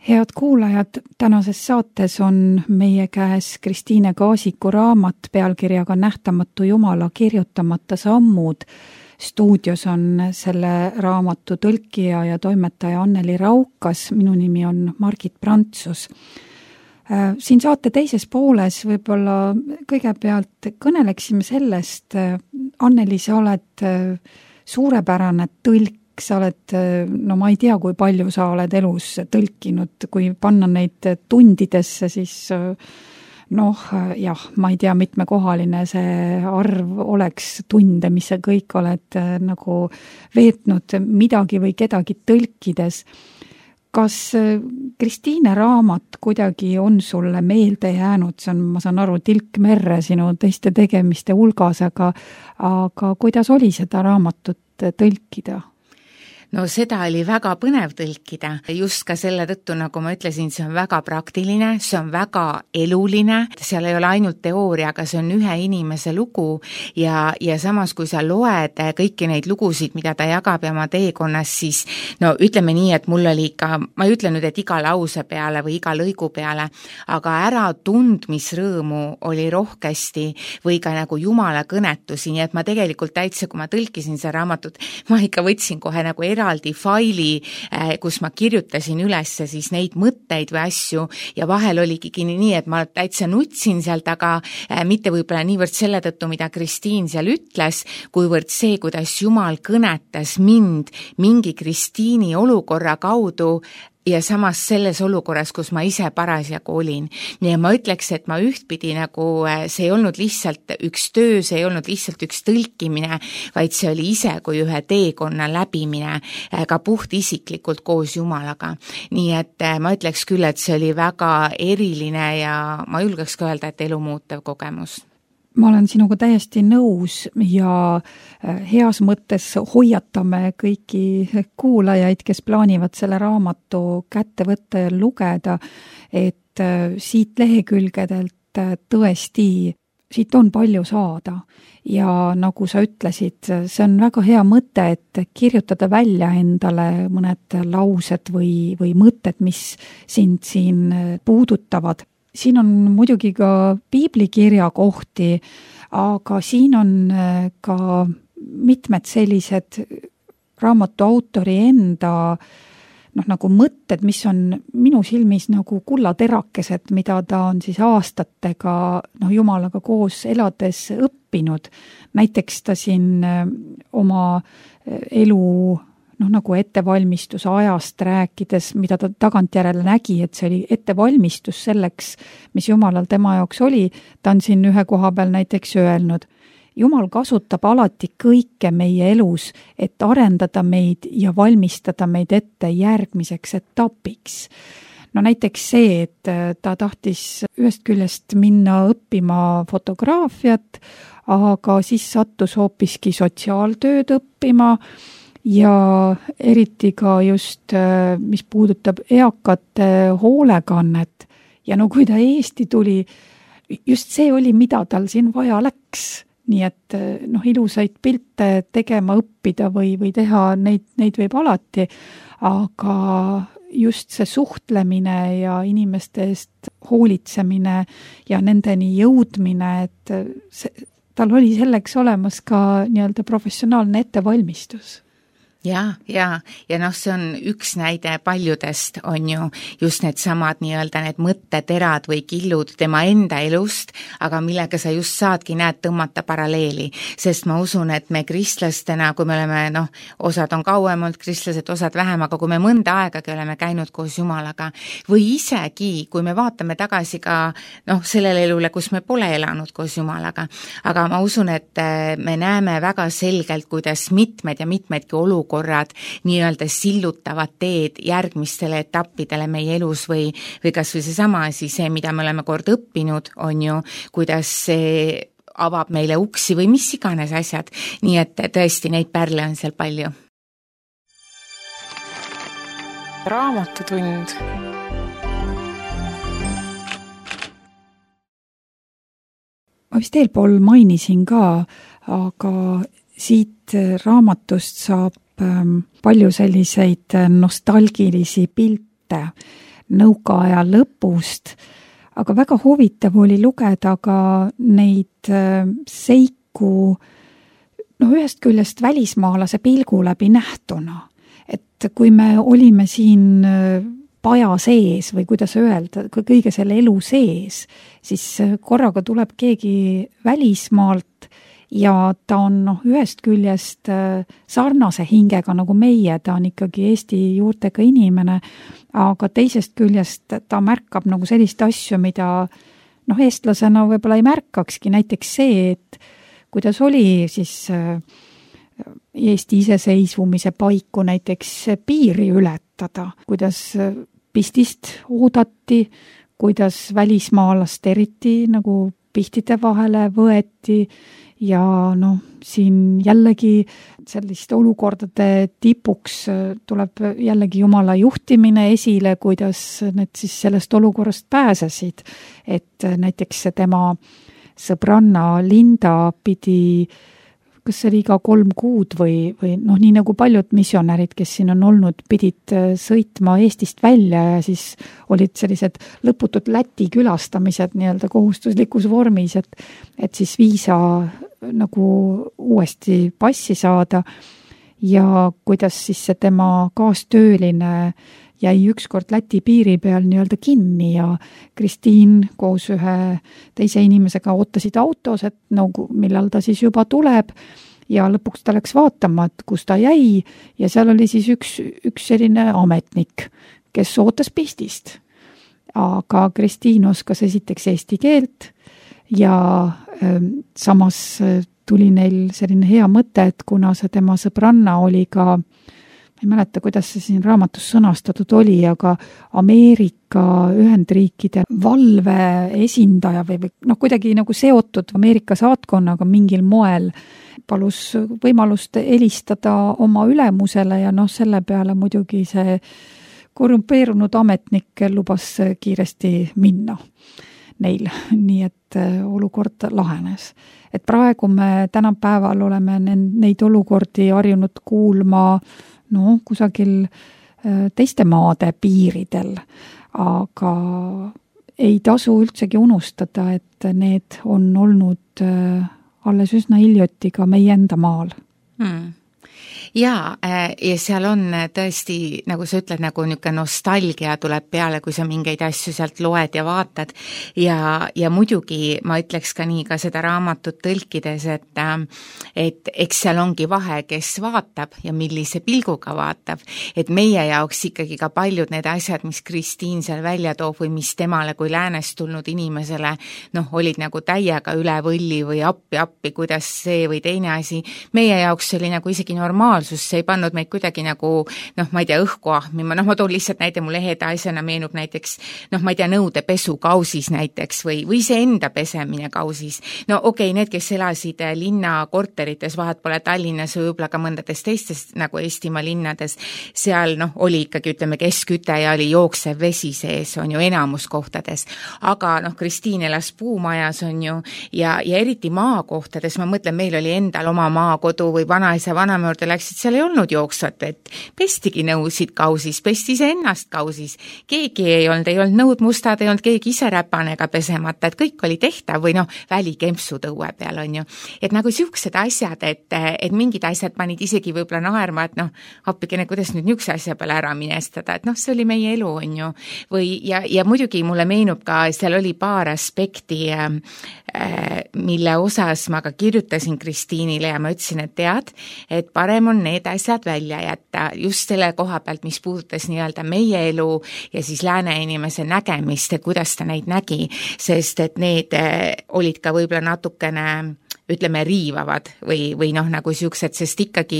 Head kuulajad, tänases saates on meie käes Kristiine Kaasiku raamat pealkirjaga Nähtamatu Jumala kirjutamata sammud. Stuudios on selle raamatu tõlkija ja toimetaja Anneli Raukas, minu nimi on Margit Prantsus. Siin saate teises pooles võib-olla kõigepealt kõneleksime sellest, Anneli, sa oled suurepärane tõlk, sa oled, no ma ei tea, kui palju sa oled elus tõlkinud, kui panna neid tundidesse, siis jah, ma ei tea, mitmekohaline see arv oleks tunde, mis sa kõik oled nagu veetnud midagi või kedagi tõlkides. Kas Kristiine raamat kuidagi on sulle meelde jäänud? See on, ma saan aru, tilk merre sinu teiste tegemiste hulgas, aga kuidas oli seda raamatut tõlkida? No seda oli väga põnev tõlkida, just ka selle tõttu, nagu ma ütlesin, see on väga praktiline, see on väga eluline, seal ei ole ainult teooria, aga see on ühe inimese lugu ja samas, kui sa loed kõiki neid lugusid, mida ta jagab ja oma teekonnas, siis no ütleme nii, et mul oli ikka, ma ei ütle nüüd, et iga lause peale või iga lõigu peale, aga äratundmisrõõmu oli rohkesti või ka nagu Jumala kõnetusi, nii et ma tegelikult täitsa, kui ma tõlkisin see raamatut, ma ikka võtsin kohe nagu eraldi faili, kus ma kirjutasin üles siis neid mõtteid või asju ja vahel oligi nii, et ma täitsa nutsin sealt, aga mitte võib-olla niivõrd selle tõttu, mida Kristiin seal ütles, kuivõrd see, kuidas Jumal kõnetas mind mingi Kristiini olukorra kaudu ja samas selles olukorras, kus ma ise parasjagu olin. Nii ma ütleks, et ma ühtpidi nagu, see ei olnud lihtsalt üks töö, see ei olnud lihtsalt üks tõlkimine, vaid see oli ise kui ühe teekonna läbimine, ka puht isiklikult koos Jumalaga. Nii et ma ütleks küll, et see oli väga eriline ja ma julgeks ka öelda, et elumuutev kogemus. Ma olen sinuga täiesti nõus ja heas mõttes hoiatame kõiki kuulajaid, kes plaanivad selle raamatu kätte võtta ja lugeda, et siit lehekülgedelt tõesti, siit on palju saada. Ja nagu sa ütlesid, see on väga hea mõte, et kirjutada välja endale mõned laused või mõtted, mis sind siin puudutavad. Siin on muidugi ka piiblikirja kohti, aga siin on ka mitmed sellised raamatu autori enda nagu mõtted, mis on minu silmis nagu kullaterakesed, mida ta on siis aastatega Jumalaga koos elades õppinud. Näiteks ta siin oma elu nagu ettevalmistuse ajast rääkides, mida ta tagantjärele nägi, et see oli ettevalmistus selleks, mis Jumalal tema jaoks oli, ta on siin ühe koha peal näiteks öelnud, Jumal kasutab alati kõike meie elus, et arendada meid ja valmistada meid ette järgmiseks etapiks. No näiteks see, et ta tahtis ühest küljest minna õppima fotograafiat, aga siis sattus hoopiski sotsiaaltööd õppima, ja eriti ka just, mis puudutab eakate hoolekannet ja kui ta Eesti tuli, just see oli, mida tal siin vaja läks. Nii et ilusaid pilte tegema õppida või teha, neid võib alati, aga just see suhtlemine ja inimeste eest hoolitsemine ja nendeni jõudmine, et tal oli selleks olemas ka nii-öelda professionaalne ettevalmistus. Ja see on üks näide paljudest, on ju just need samad nii-öelda need mõtteterad või killud tema enda elust, aga millega sa just saadki tõmmata paralleeli, sest ma usun, et me kristlastena, kui me oleme, osad on kauem olnud kristlased, osad vähem, aga kui me mõnda aegagi oleme käinud koos Jumalaga või isegi, kui me vaatame tagasi ka sellele elule, kus me pole elanud koos Jumalaga, aga ma usun, et me näeme väga selgelt, kuidas mitmed ja mitmedki olukorrad nii-öelda sillutavad teed järgmistele etappidele meie elus või kas või seesama asi, see, mida me oleme kord õppinud, on ju, kuidas see avab meile uksi või mis iganes asjad. Nii et tõesti neid pärle on seal palju. Raamatutund. Ma vist eelpool mainisin ka, aga siit raamatust saab palju selliseid nostalgilisi pilte. nõukaaja lõpust, aga väga huvitav oli lugeda ka neid seiku ühest küljest välismaalase pilgu läbi nähtuna. Et kui me olime siin paja sees või kuidas öelda, kõige selle elu sees, siis korraga tuleb keegi välismaalt ja ta on ühest küljest sarnase hingega nagu meie, ta on ikkagi Eesti juurtega inimene, aga teisest küljest ta märkab nagu sellist asju, mida eestlasena võib-olla ei märkakski, näiteks see, et kuidas oli siis Eesti iseseisvumise paiku näiteks piiri ületada, kuidas pistist oodati, kuidas välismaalast eriti nagu pihtide vahele võeti ja siin jällegi selliste olukordade tipuks tuleb jällegi Jumala juhtimine esile, kuidas need siis sellest olukorrast pääsesid, et näiteks tema sõbranna Linda pidi kas see oli iga 3 kuud või nii nagu paljud missionärid, kes siin on olnud, pidid sõitma Eestist välja ja siis olid sellised lõputud Läti külastamised nii-öelda kohustuslikus vormis, et siis viisa nagu uuesti passi saada ja kuidas siis see tema kaastööline jäi ükskord Läti piiri peal nii-öelda kinni ja Kristiin koos ühe teise inimesega ootasid autos, et millal ta siis juba tuleb ja lõpuks ta läks vaatama, et kus ta jäi ja seal oli siis üks selline ametnik, kes ootas pistist. Aga Kristiin oskas esiteks eesti keelt ja samas tuli neil selline hea mõte, et kuna see tema sõbranna oli ka ei mäleta, kuidas see siin raamatus sõnastatud oli, aga Ameerika Ühendriikide valve esindaja või kuidagi nagu seotud Ameerika saatkonnaga mingil moel, palus võimalust helistada oma ülemusele ja selle peale muidugi see korrumpeerunud ametnik lubas kiiresti minna neil, nii et olukord lahenes. Et praegu me tänapäeval oleme neid olukordi harjunud kuulma kusagil teiste maade piiridel, aga ei tasu üldsegi unustada, et need on olnud alles üsna hiljuti ka meie enda maal. Ja seal on tõesti, nagu sa ütled, nagu niisugune nostalgia tuleb peale, kui sa mingeid asju sealt loed ja vaatad ja muidugi ma ütleks ka nii ka seda raamatut tõlkides, et eks seal ongi vahe, kes vaatab ja millise pilguga vaatab, et meie jaoks ikkagi ka paljud need asjad, mis Kristiin seal välja toob või mis temale kui läänest tulnud inimesele olid nagu täiega üle võlli või appi, kuidas see või teine asi, meie jaoks oli nagu isegi normaalsus, see ei pannud meid kuidagi nagu, ma ei tea, õhku ahmima, ma toon lihtsalt näite, mulle heda asjana meenub näiteks, ma ei tea, nõudepesu kausis näiteks või see enda pesemine kausis. Okei, need, kes elasid linna korterites, vahet pole Tallinnas või võib-olla ka mõndades teistes nagu Eestimaa linnades, seal oli ikkagi, ütleme, keskküte ja oli jooksev vesi sees, on ju enamus kohtades, aga Kristiin elas puumajas, on ju, ja eriti maakohtades, ma mõtlen, meil oli endal oma maakodu või vanaisa vanama juurde läksid, seal ei olnud jooksvat vett, pestigi nõusid kausis, pesti ise ennast kausis, keegi ei olnud nõud mustad, ei olnud keegi ise räpanega pesemata, et kõik oli tehtav või välikempsu tõue peal, on ju. Et nagu siuksed asjad, et mingid asjad panid isegi võib-olla naerma, et appikene, kuidas nüüd niisuguse asja peale ära minestada, et see oli meie elu, on ju. Ja muidugi mulle meenub ka, seal oli paar aspekti, mille osas ma ka kirjutasin Kristiinile ja ma ütlesin, et tead, et parem on need asjad välja jätta just selle koha pealt, mis puudutas nii-öelda meie elu ja siis lääne inimese nägemist, et kuidas ta neid nägi, sest et need olid ka võib-olla natukene ütleme riivavad või nagu siuksed, sest ikkagi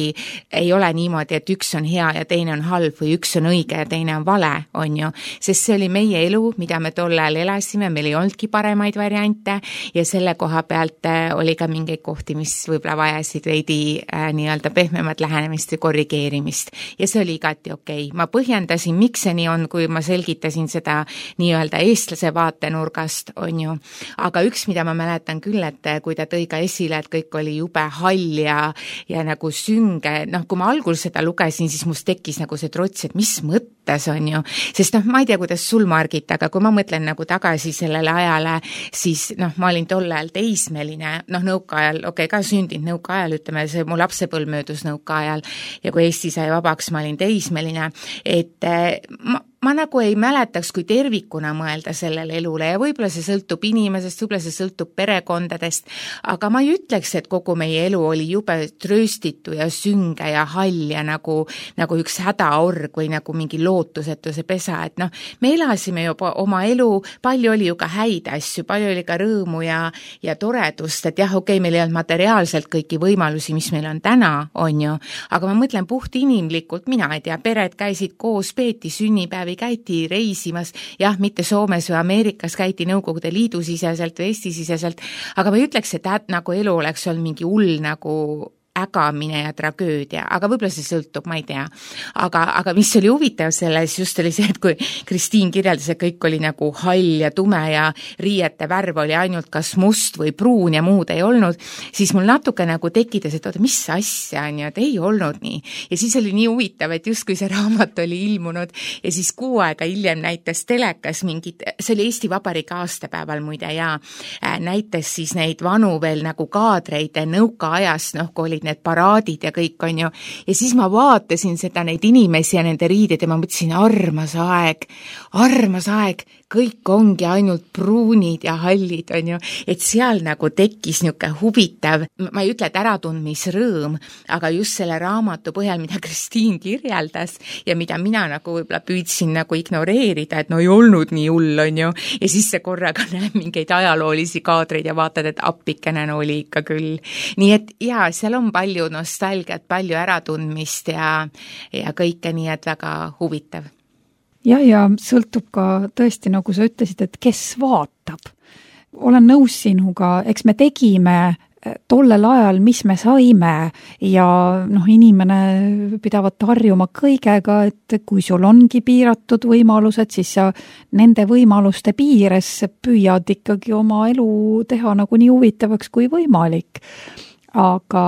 ei ole niimoodi, et üks on hea ja teine on halb või üks on õige ja teine on vale, on ju, sest see oli meie elu, mida me tol ajal elasime, meil ei olnudki paremaid variante ja selle koha pealt oli ka mingeid kohti, mis võib-olla vajasid veidi nii-öelda pehmemat lähenemist või korrigeerimist ja see oli igati okei. Ma põhjendasin, miks see nii on, kui ma selgitasin seda nii-öelda eestlase vaatenurgast, on ju, aga üks, mida ma mäletan küll, et kui ta tõi ka esile, et kõik oli jube hall ja nagu sünge. Kui ma algul seda lugesin, siis must tekkis nagu see trots, et mis mõttes on ju, sest ma ei tea, kuidas sul, Margit, aga kui ma mõtlen nagu tagasi sellele ajale, siis ma olin tol ajal teismeline, nõukaajal, ka sündinud nõukaajal, ütleme, see mu lapsepõlv möödus nõukaajal ja kui Eesti sai vabaks, ma olin teismeline, et ma nagu ei mäletaks, kui tervikuna mõelda sellele elule ja võib-olla see sõltub inimesest, võib-olla see sõltub perekondadest, aga ma ei ütleks, et kogu meie elu oli jube trööstitu ja sünge ja hall ja nagu üks hädaorg või nagu mingi lootusetuse pesa, et me elasime juba oma elu, palju oli ju ka häid asju, palju oli ka rõõmu ja toredust, et jah, meil ei olnud materiaalselt kõiki võimalusi, mis meil on täna, on ju, aga ma mõtlen puht inimlikult, mina ei tea, pered käisid koos, peeti sünnipäevi, käiti reisimas, jah, mitte Soomes või Ameerikas, käiti Nõukogude Liidu siseselt või Eesti siseselt, aga ma ei ütleks, et nagu elu oleks olnud mingi hull nagu ägamine ja tragöödia, aga võib-olla see sõltub, ma ei tea. Aga mis oli huvitav selles just oli see, et kui Kristiin kirjeldas, et kõik oli nagu hall ja tume ja riiete värv oli ainult kas must või pruun ja muud ei olnud, siis mul natuke nagu tekitas, et oota, mis asja on ju, et ei olnud nii. Ja siis oli nii huvitav, et just kui see raamat oli ilmunud ja siis 6 aega hiljem näitas telekas mingid, see oli Eesti Vabariigi aastapäeval muide ja näitas siis neid vanu veel nagu kaadreid nõukaajast, kui oli need paraadid ja kõik on ju, ja siis ma vaatasin seda neid inimesi ja nende riided ja ma mõtlesin, armas aeg, kõik ongi ainult pruunid ja hallid on ju, et seal nagu tekkis niisugune huvitav, ma ei ütle, et äratundmisrõõm, aga just selle raamatu põhjal, mida Kristiin kirjeldas ja mida mina nagu võib-olla püüdsin nagu ignoreerida, et ei olnud nii hull on ju, ja siis see korraga näeb mingeid ajaloolisi kaadreid ja vaatad, et appikene oli ikka küll. Nii et jaa, seal on palju nostalgiat, palju äratundmist ja kõike, nii et väga huvitav. Ja sõltub ka tõesti, nagu sa ütlesid, et kes vaatab. Olen nõus sinuga, eks me tegime tollel ajal, mis me saime ja inimene pidavat harjuma kõigega, et kui sul ongi piiratud võimalused, siis sa nende võimaluste piires püüad ikkagi oma elu teha nagu nii huvitavaks kui võimalik. Aga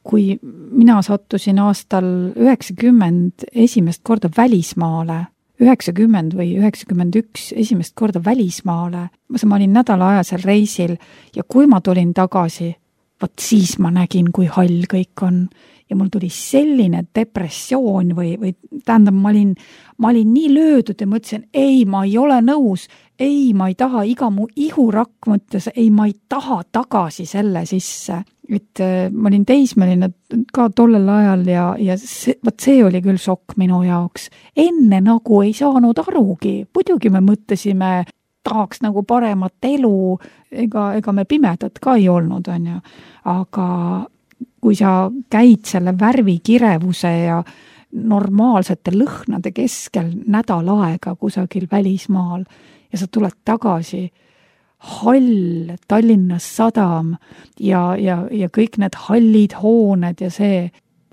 kui mina sattusin aastal 90 esimest korda välismaale, 90 või 91 esimest korda välismaale, ma olin nädalaajasel reisil ja kui ma tulin tagasi, siis ma nägin, kui hall kõik on. Ja mul tuli selline depressioon või tähendab, ma olin nii löödud ja mõtlesin, ei, ma ei ole nõus, ei, ma ei taha, iga mu ihurakk mõttes, ei, ma ei taha tagasi selle sisse. Et ma olin teismeline ka tollel ajal ja see oli küll šokk minu jaoks. Enne nagu ei saanud arugi, muidugi me mõtlesime, tahaks nagu paremat elu, ega me pimedad ka ei olnud, on ju. Aga kui sa käid selle värvikirevuse ja normaalsete lõhnade keskel nädal aega kusagil välismaal ja sa tuled tagasi, hall, Tallinna sadam ja kõik need hallid hooned ja see,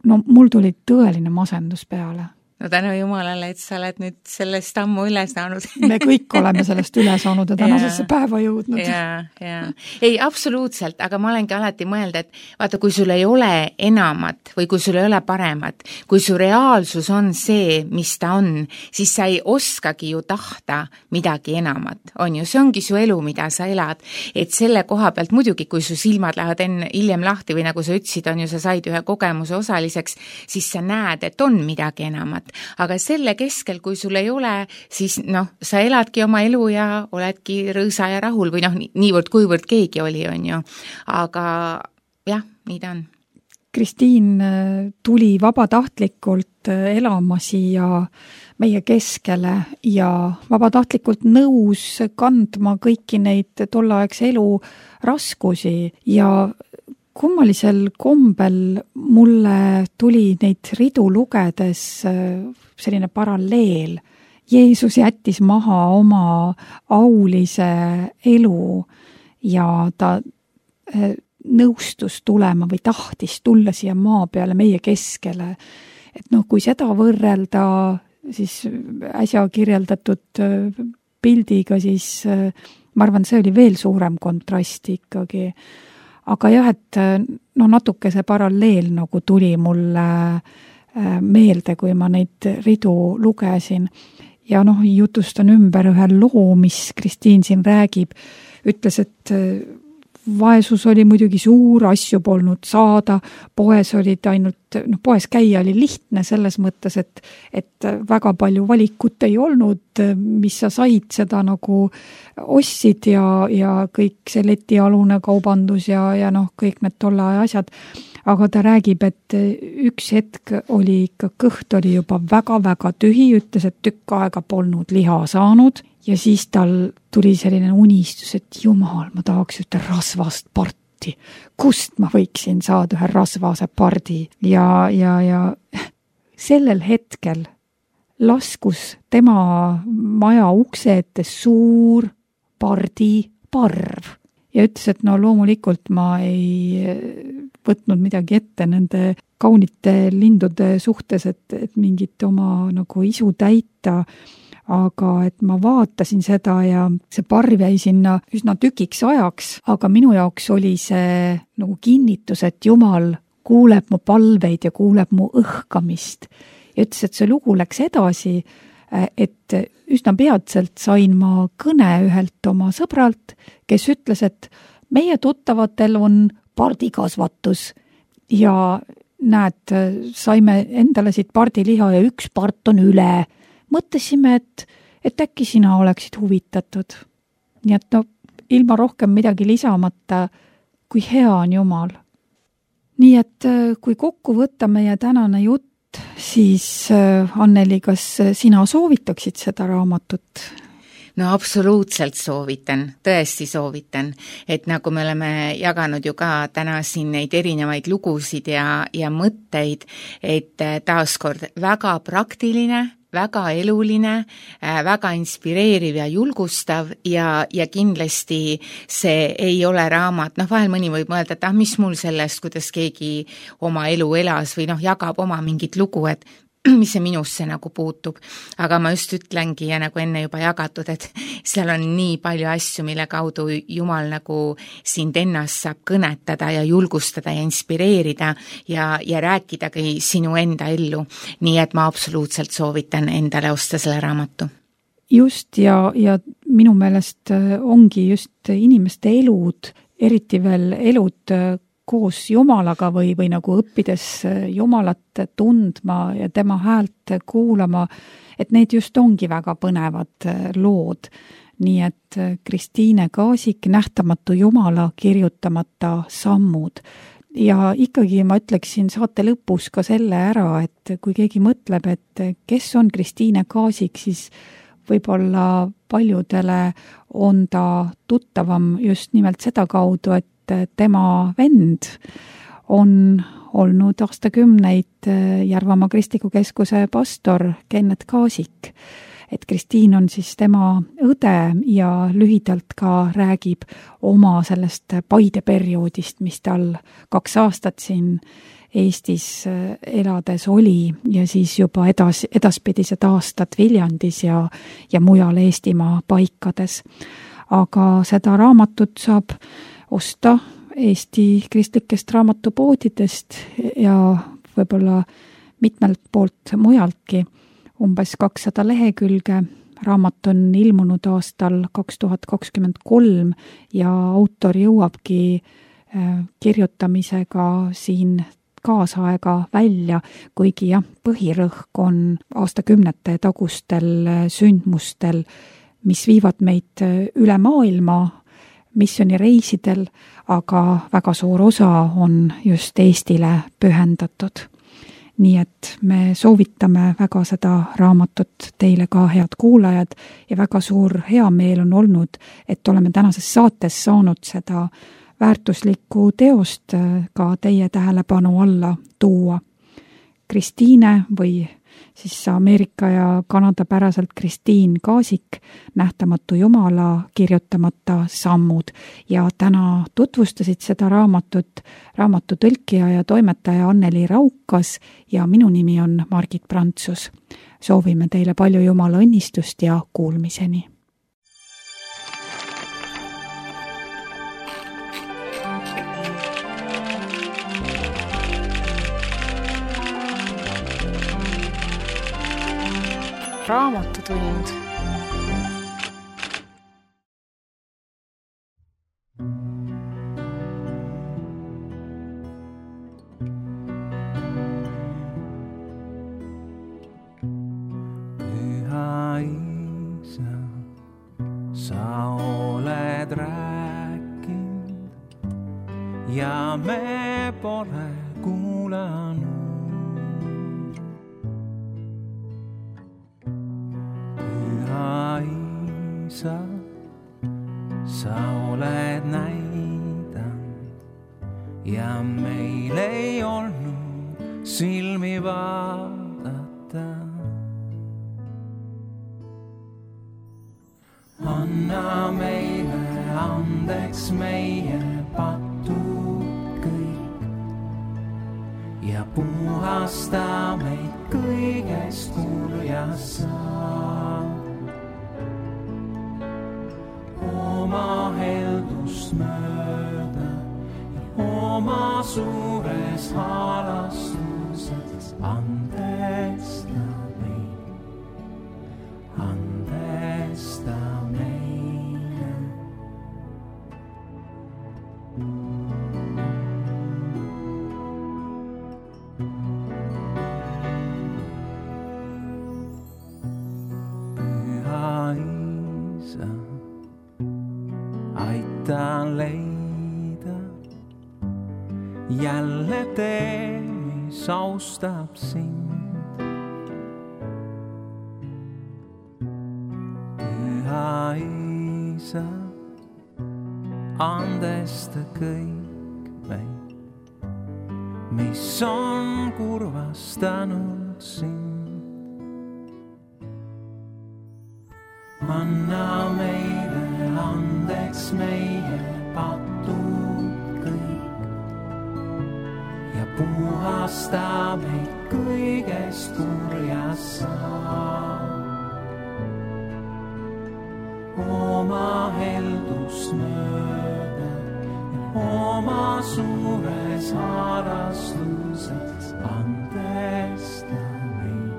mul tuli tõeline masendus peale. No tänu Jumalale, et sa oled nüüd sellest ammu üle saanud. Me kõik oleme sellest üle saanud ja tänasesse päeva jõudnud. Ja. Ei, absoluutselt, aga ma olengi alati mõelda, et vaata, kui sul ei ole enamat või kui sul ei ole paremat, kui su reaalsus on see, mis ta on, siis sa ei oskagi ju tahta midagi enamat. On ju, see ongi su elu, mida sa elad. Et selle koha pealt muidugi, kui su silmad lähevad hiljem lahti või nagu sa ütlesid, on ju, sa said ühe kogemuse osaliseks, siis sa näed, et on midagi enamat. Aga selle keskel, kui sul ei ole, siis sa eladki oma elu ja oledki rõõsa ja rahul või niivõrd kuivõrd keegi oli, on ju. Aga jah, nii ta on. Kristiin tuli vabatahtlikult elama siia meie keskele ja vabatahtlikult nõus kandma kõiki neid tollaegse elu raskusi ja kummalisel kombel mulle tuli neid ridu lugedes selline paralleel. Jeesus jättis maha oma aulise elu ja ta nõustus tulema või tahtis tulla siia maa peale meie keskele. Et kui seda võrrelda siis äsja kirjeldatud pildiga, siis ma arvan, see oli veel suurem kontrast ikkagi. aga jah, et natuke see paralleel nagu tuli mulle meelde, kui ma neid ridu lugesin. Ja jutustan ümber ühe loo, mis Kristiin siin räägib. Ütles, et vaesus oli muidugi suur, asju polnud saada, poes olid ainult, poes käia oli lihtne selles mõttes, et väga palju valikut ei olnud, mis sa said, seda nagu ostsid ja kõik see letialune kaubandus ja kõik need tolle aja asjad. Aga ta räägib, et üks hetk oli ikka, kõht oli juba väga-väga tühi, ütles, et tükk aega polnud liha saanud ja siis tal tuli selline unistus, et jumal, ma tahaks ühte rasvast parti. Kust ma võiksin saada ühe rasvase pardi? Ja sellel hetkel laskus tema maja ukse ette suur pardiparv. Ja ütles, et loomulikult ma ei võtnud midagi ette nende kaunite lindude suhtes, et mingit oma nagu isu täita, aga et ma vaatasin seda ja see parv jäi sinna üsna tükiks ajaks, aga minu jaoks oli see nagu kinnitus, et Jumal kuuleb mu palveid ja kuuleb mu õhkamist. Ja ütles, et see lugu läks edasi, et üsna peatselt sain ma kõne ühelt oma sõbralt, kes ütles, et meie tuttavatel on pardikasvatus ja näed, saime endale siit pardiliha ja üks part on üle. Mõtlesime, et äkki sina oleksid huvitatud. Nii et ilma rohkem midagi lisamata, kui hea on Jumal. Nii et kui kokku võtta meie tänane jutt, siis Anneli, kas sina soovitaksid seda raamatut? No absoluutselt soovitan, tõesti soovitan, et nagu me oleme jaganud ju ka täna siin neid erinevaid lugusid ja mõtteid, et taaskord väga praktiline, väga eluline, väga inspireeriv ja julgustav ja kindlasti see ei ole raamat, vahel mõni võib mõelda, et mis mul sellest, kuidas keegi oma elu elas või jagab oma mingit lugu, et mis see minusse nagu puutub, aga ma just ütlengi ja nagu enne juba jagatud, et seal on nii palju asju, mille kaudu Jumal nagu sind ennast saab kõnetada ja julgustada ja inspireerida ja rääkidagi sinu enda ellu. Nii et ma absoluutselt soovitan endale osta selle raamatu. Just ja minu meelest ongi just inimeste elud, eriti veel elud koos Jumalaga või nagu õppides Jumalat tundma ja tema häält kuulama, et need just ongi väga põnevad lood. Nii et Kristiine Kaasik, Nähtamatu Jumala kirjutamata sammud. Ja ikkagi ma ütleksin saate lõpus ka selle ära, et kui keegi mõtleb, et kes on Kristiine Kaasik, siis võib-olla paljudele on ta tuttavam just nimelt seda kaudu, et tema vend on olnud aastakümneid Järvamaa Kristliku Keskuse pastor Kennet Kaasik. Et Kristiin on siis tema õde ja lühidalt ka räägib oma sellest Paide perioodist, mis tal 2 aastat siin Eestis elades oli ja siis juba edaspidised aastad Viljandis ja mujal Eestimaa paikades. Aga seda raamatut saab osta Eesti kristlikest raamatupoodidest ja võib-olla mitmelt poolt mujaltki. Umbes 200 lehekülge. Raamat on ilmunud aastal 2023 ja autor jõuabki kirjutamisega siin kaasaega välja, kuigi põhirõhk on aastakümnete tagustel sündmustel, mis viivad meid üle maailma missioonireisidel, aga väga suur osa on just Eestile pühendatud. Nii et me soovitame väga seda raamatut teile ka, head kuulajad, ja väga suur heameel on olnud, et oleme tänases saates saanud seda väärtuslikku teost ka teie tähelepanu alla tuua. Kristiine või siis Ameerika ja Kanada päraselt Kristiin Kaasik, Nähtamatu Jumala kirjutamata sammud. Ja täna tutvustasid seda raamatut raamatu tõlkija ja toimetaja Anneli Raukas ja minu nimi on Margit Prantsus. Soovime teile palju Jumala õnnistust ja kuulmiseni. Raamatutund. Püha Isa, sa oled rääkinud ja me pole kuulanud. Sa oled näidanud ja meil ei olnud silmi vaadata. Anna meile andeks meie patud kõik ja puhasta meid kõigest kurjast saab. Oma heldust mööda ja oma suures halastuses andesta meid, andesta meile. Püha Isa, aita leida jälle tee, mis austab sind. Püha Isa, andesta kõik meid, mis on kurvastanud sind. Anna meile andeks meie patud kõik ja puhasta meid kõigest kurjast saab. Oma heldust mööda ja oma suures halastuses andesta meid,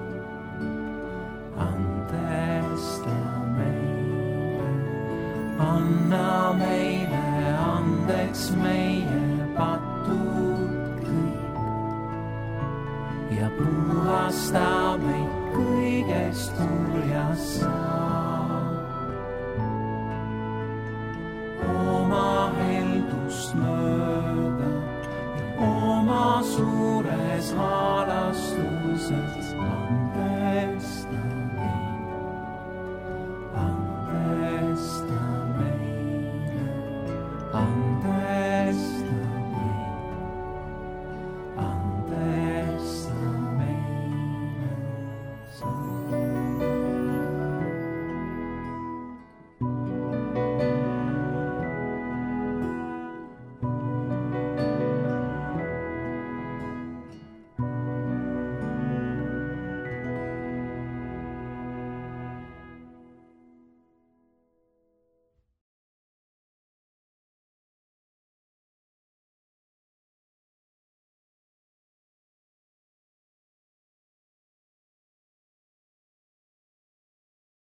andesta meile. Anna meile andeks meie patud kõik ja puhasta meid kõigest kurjast saab. Oma heldust mööda ja oma suures halastuses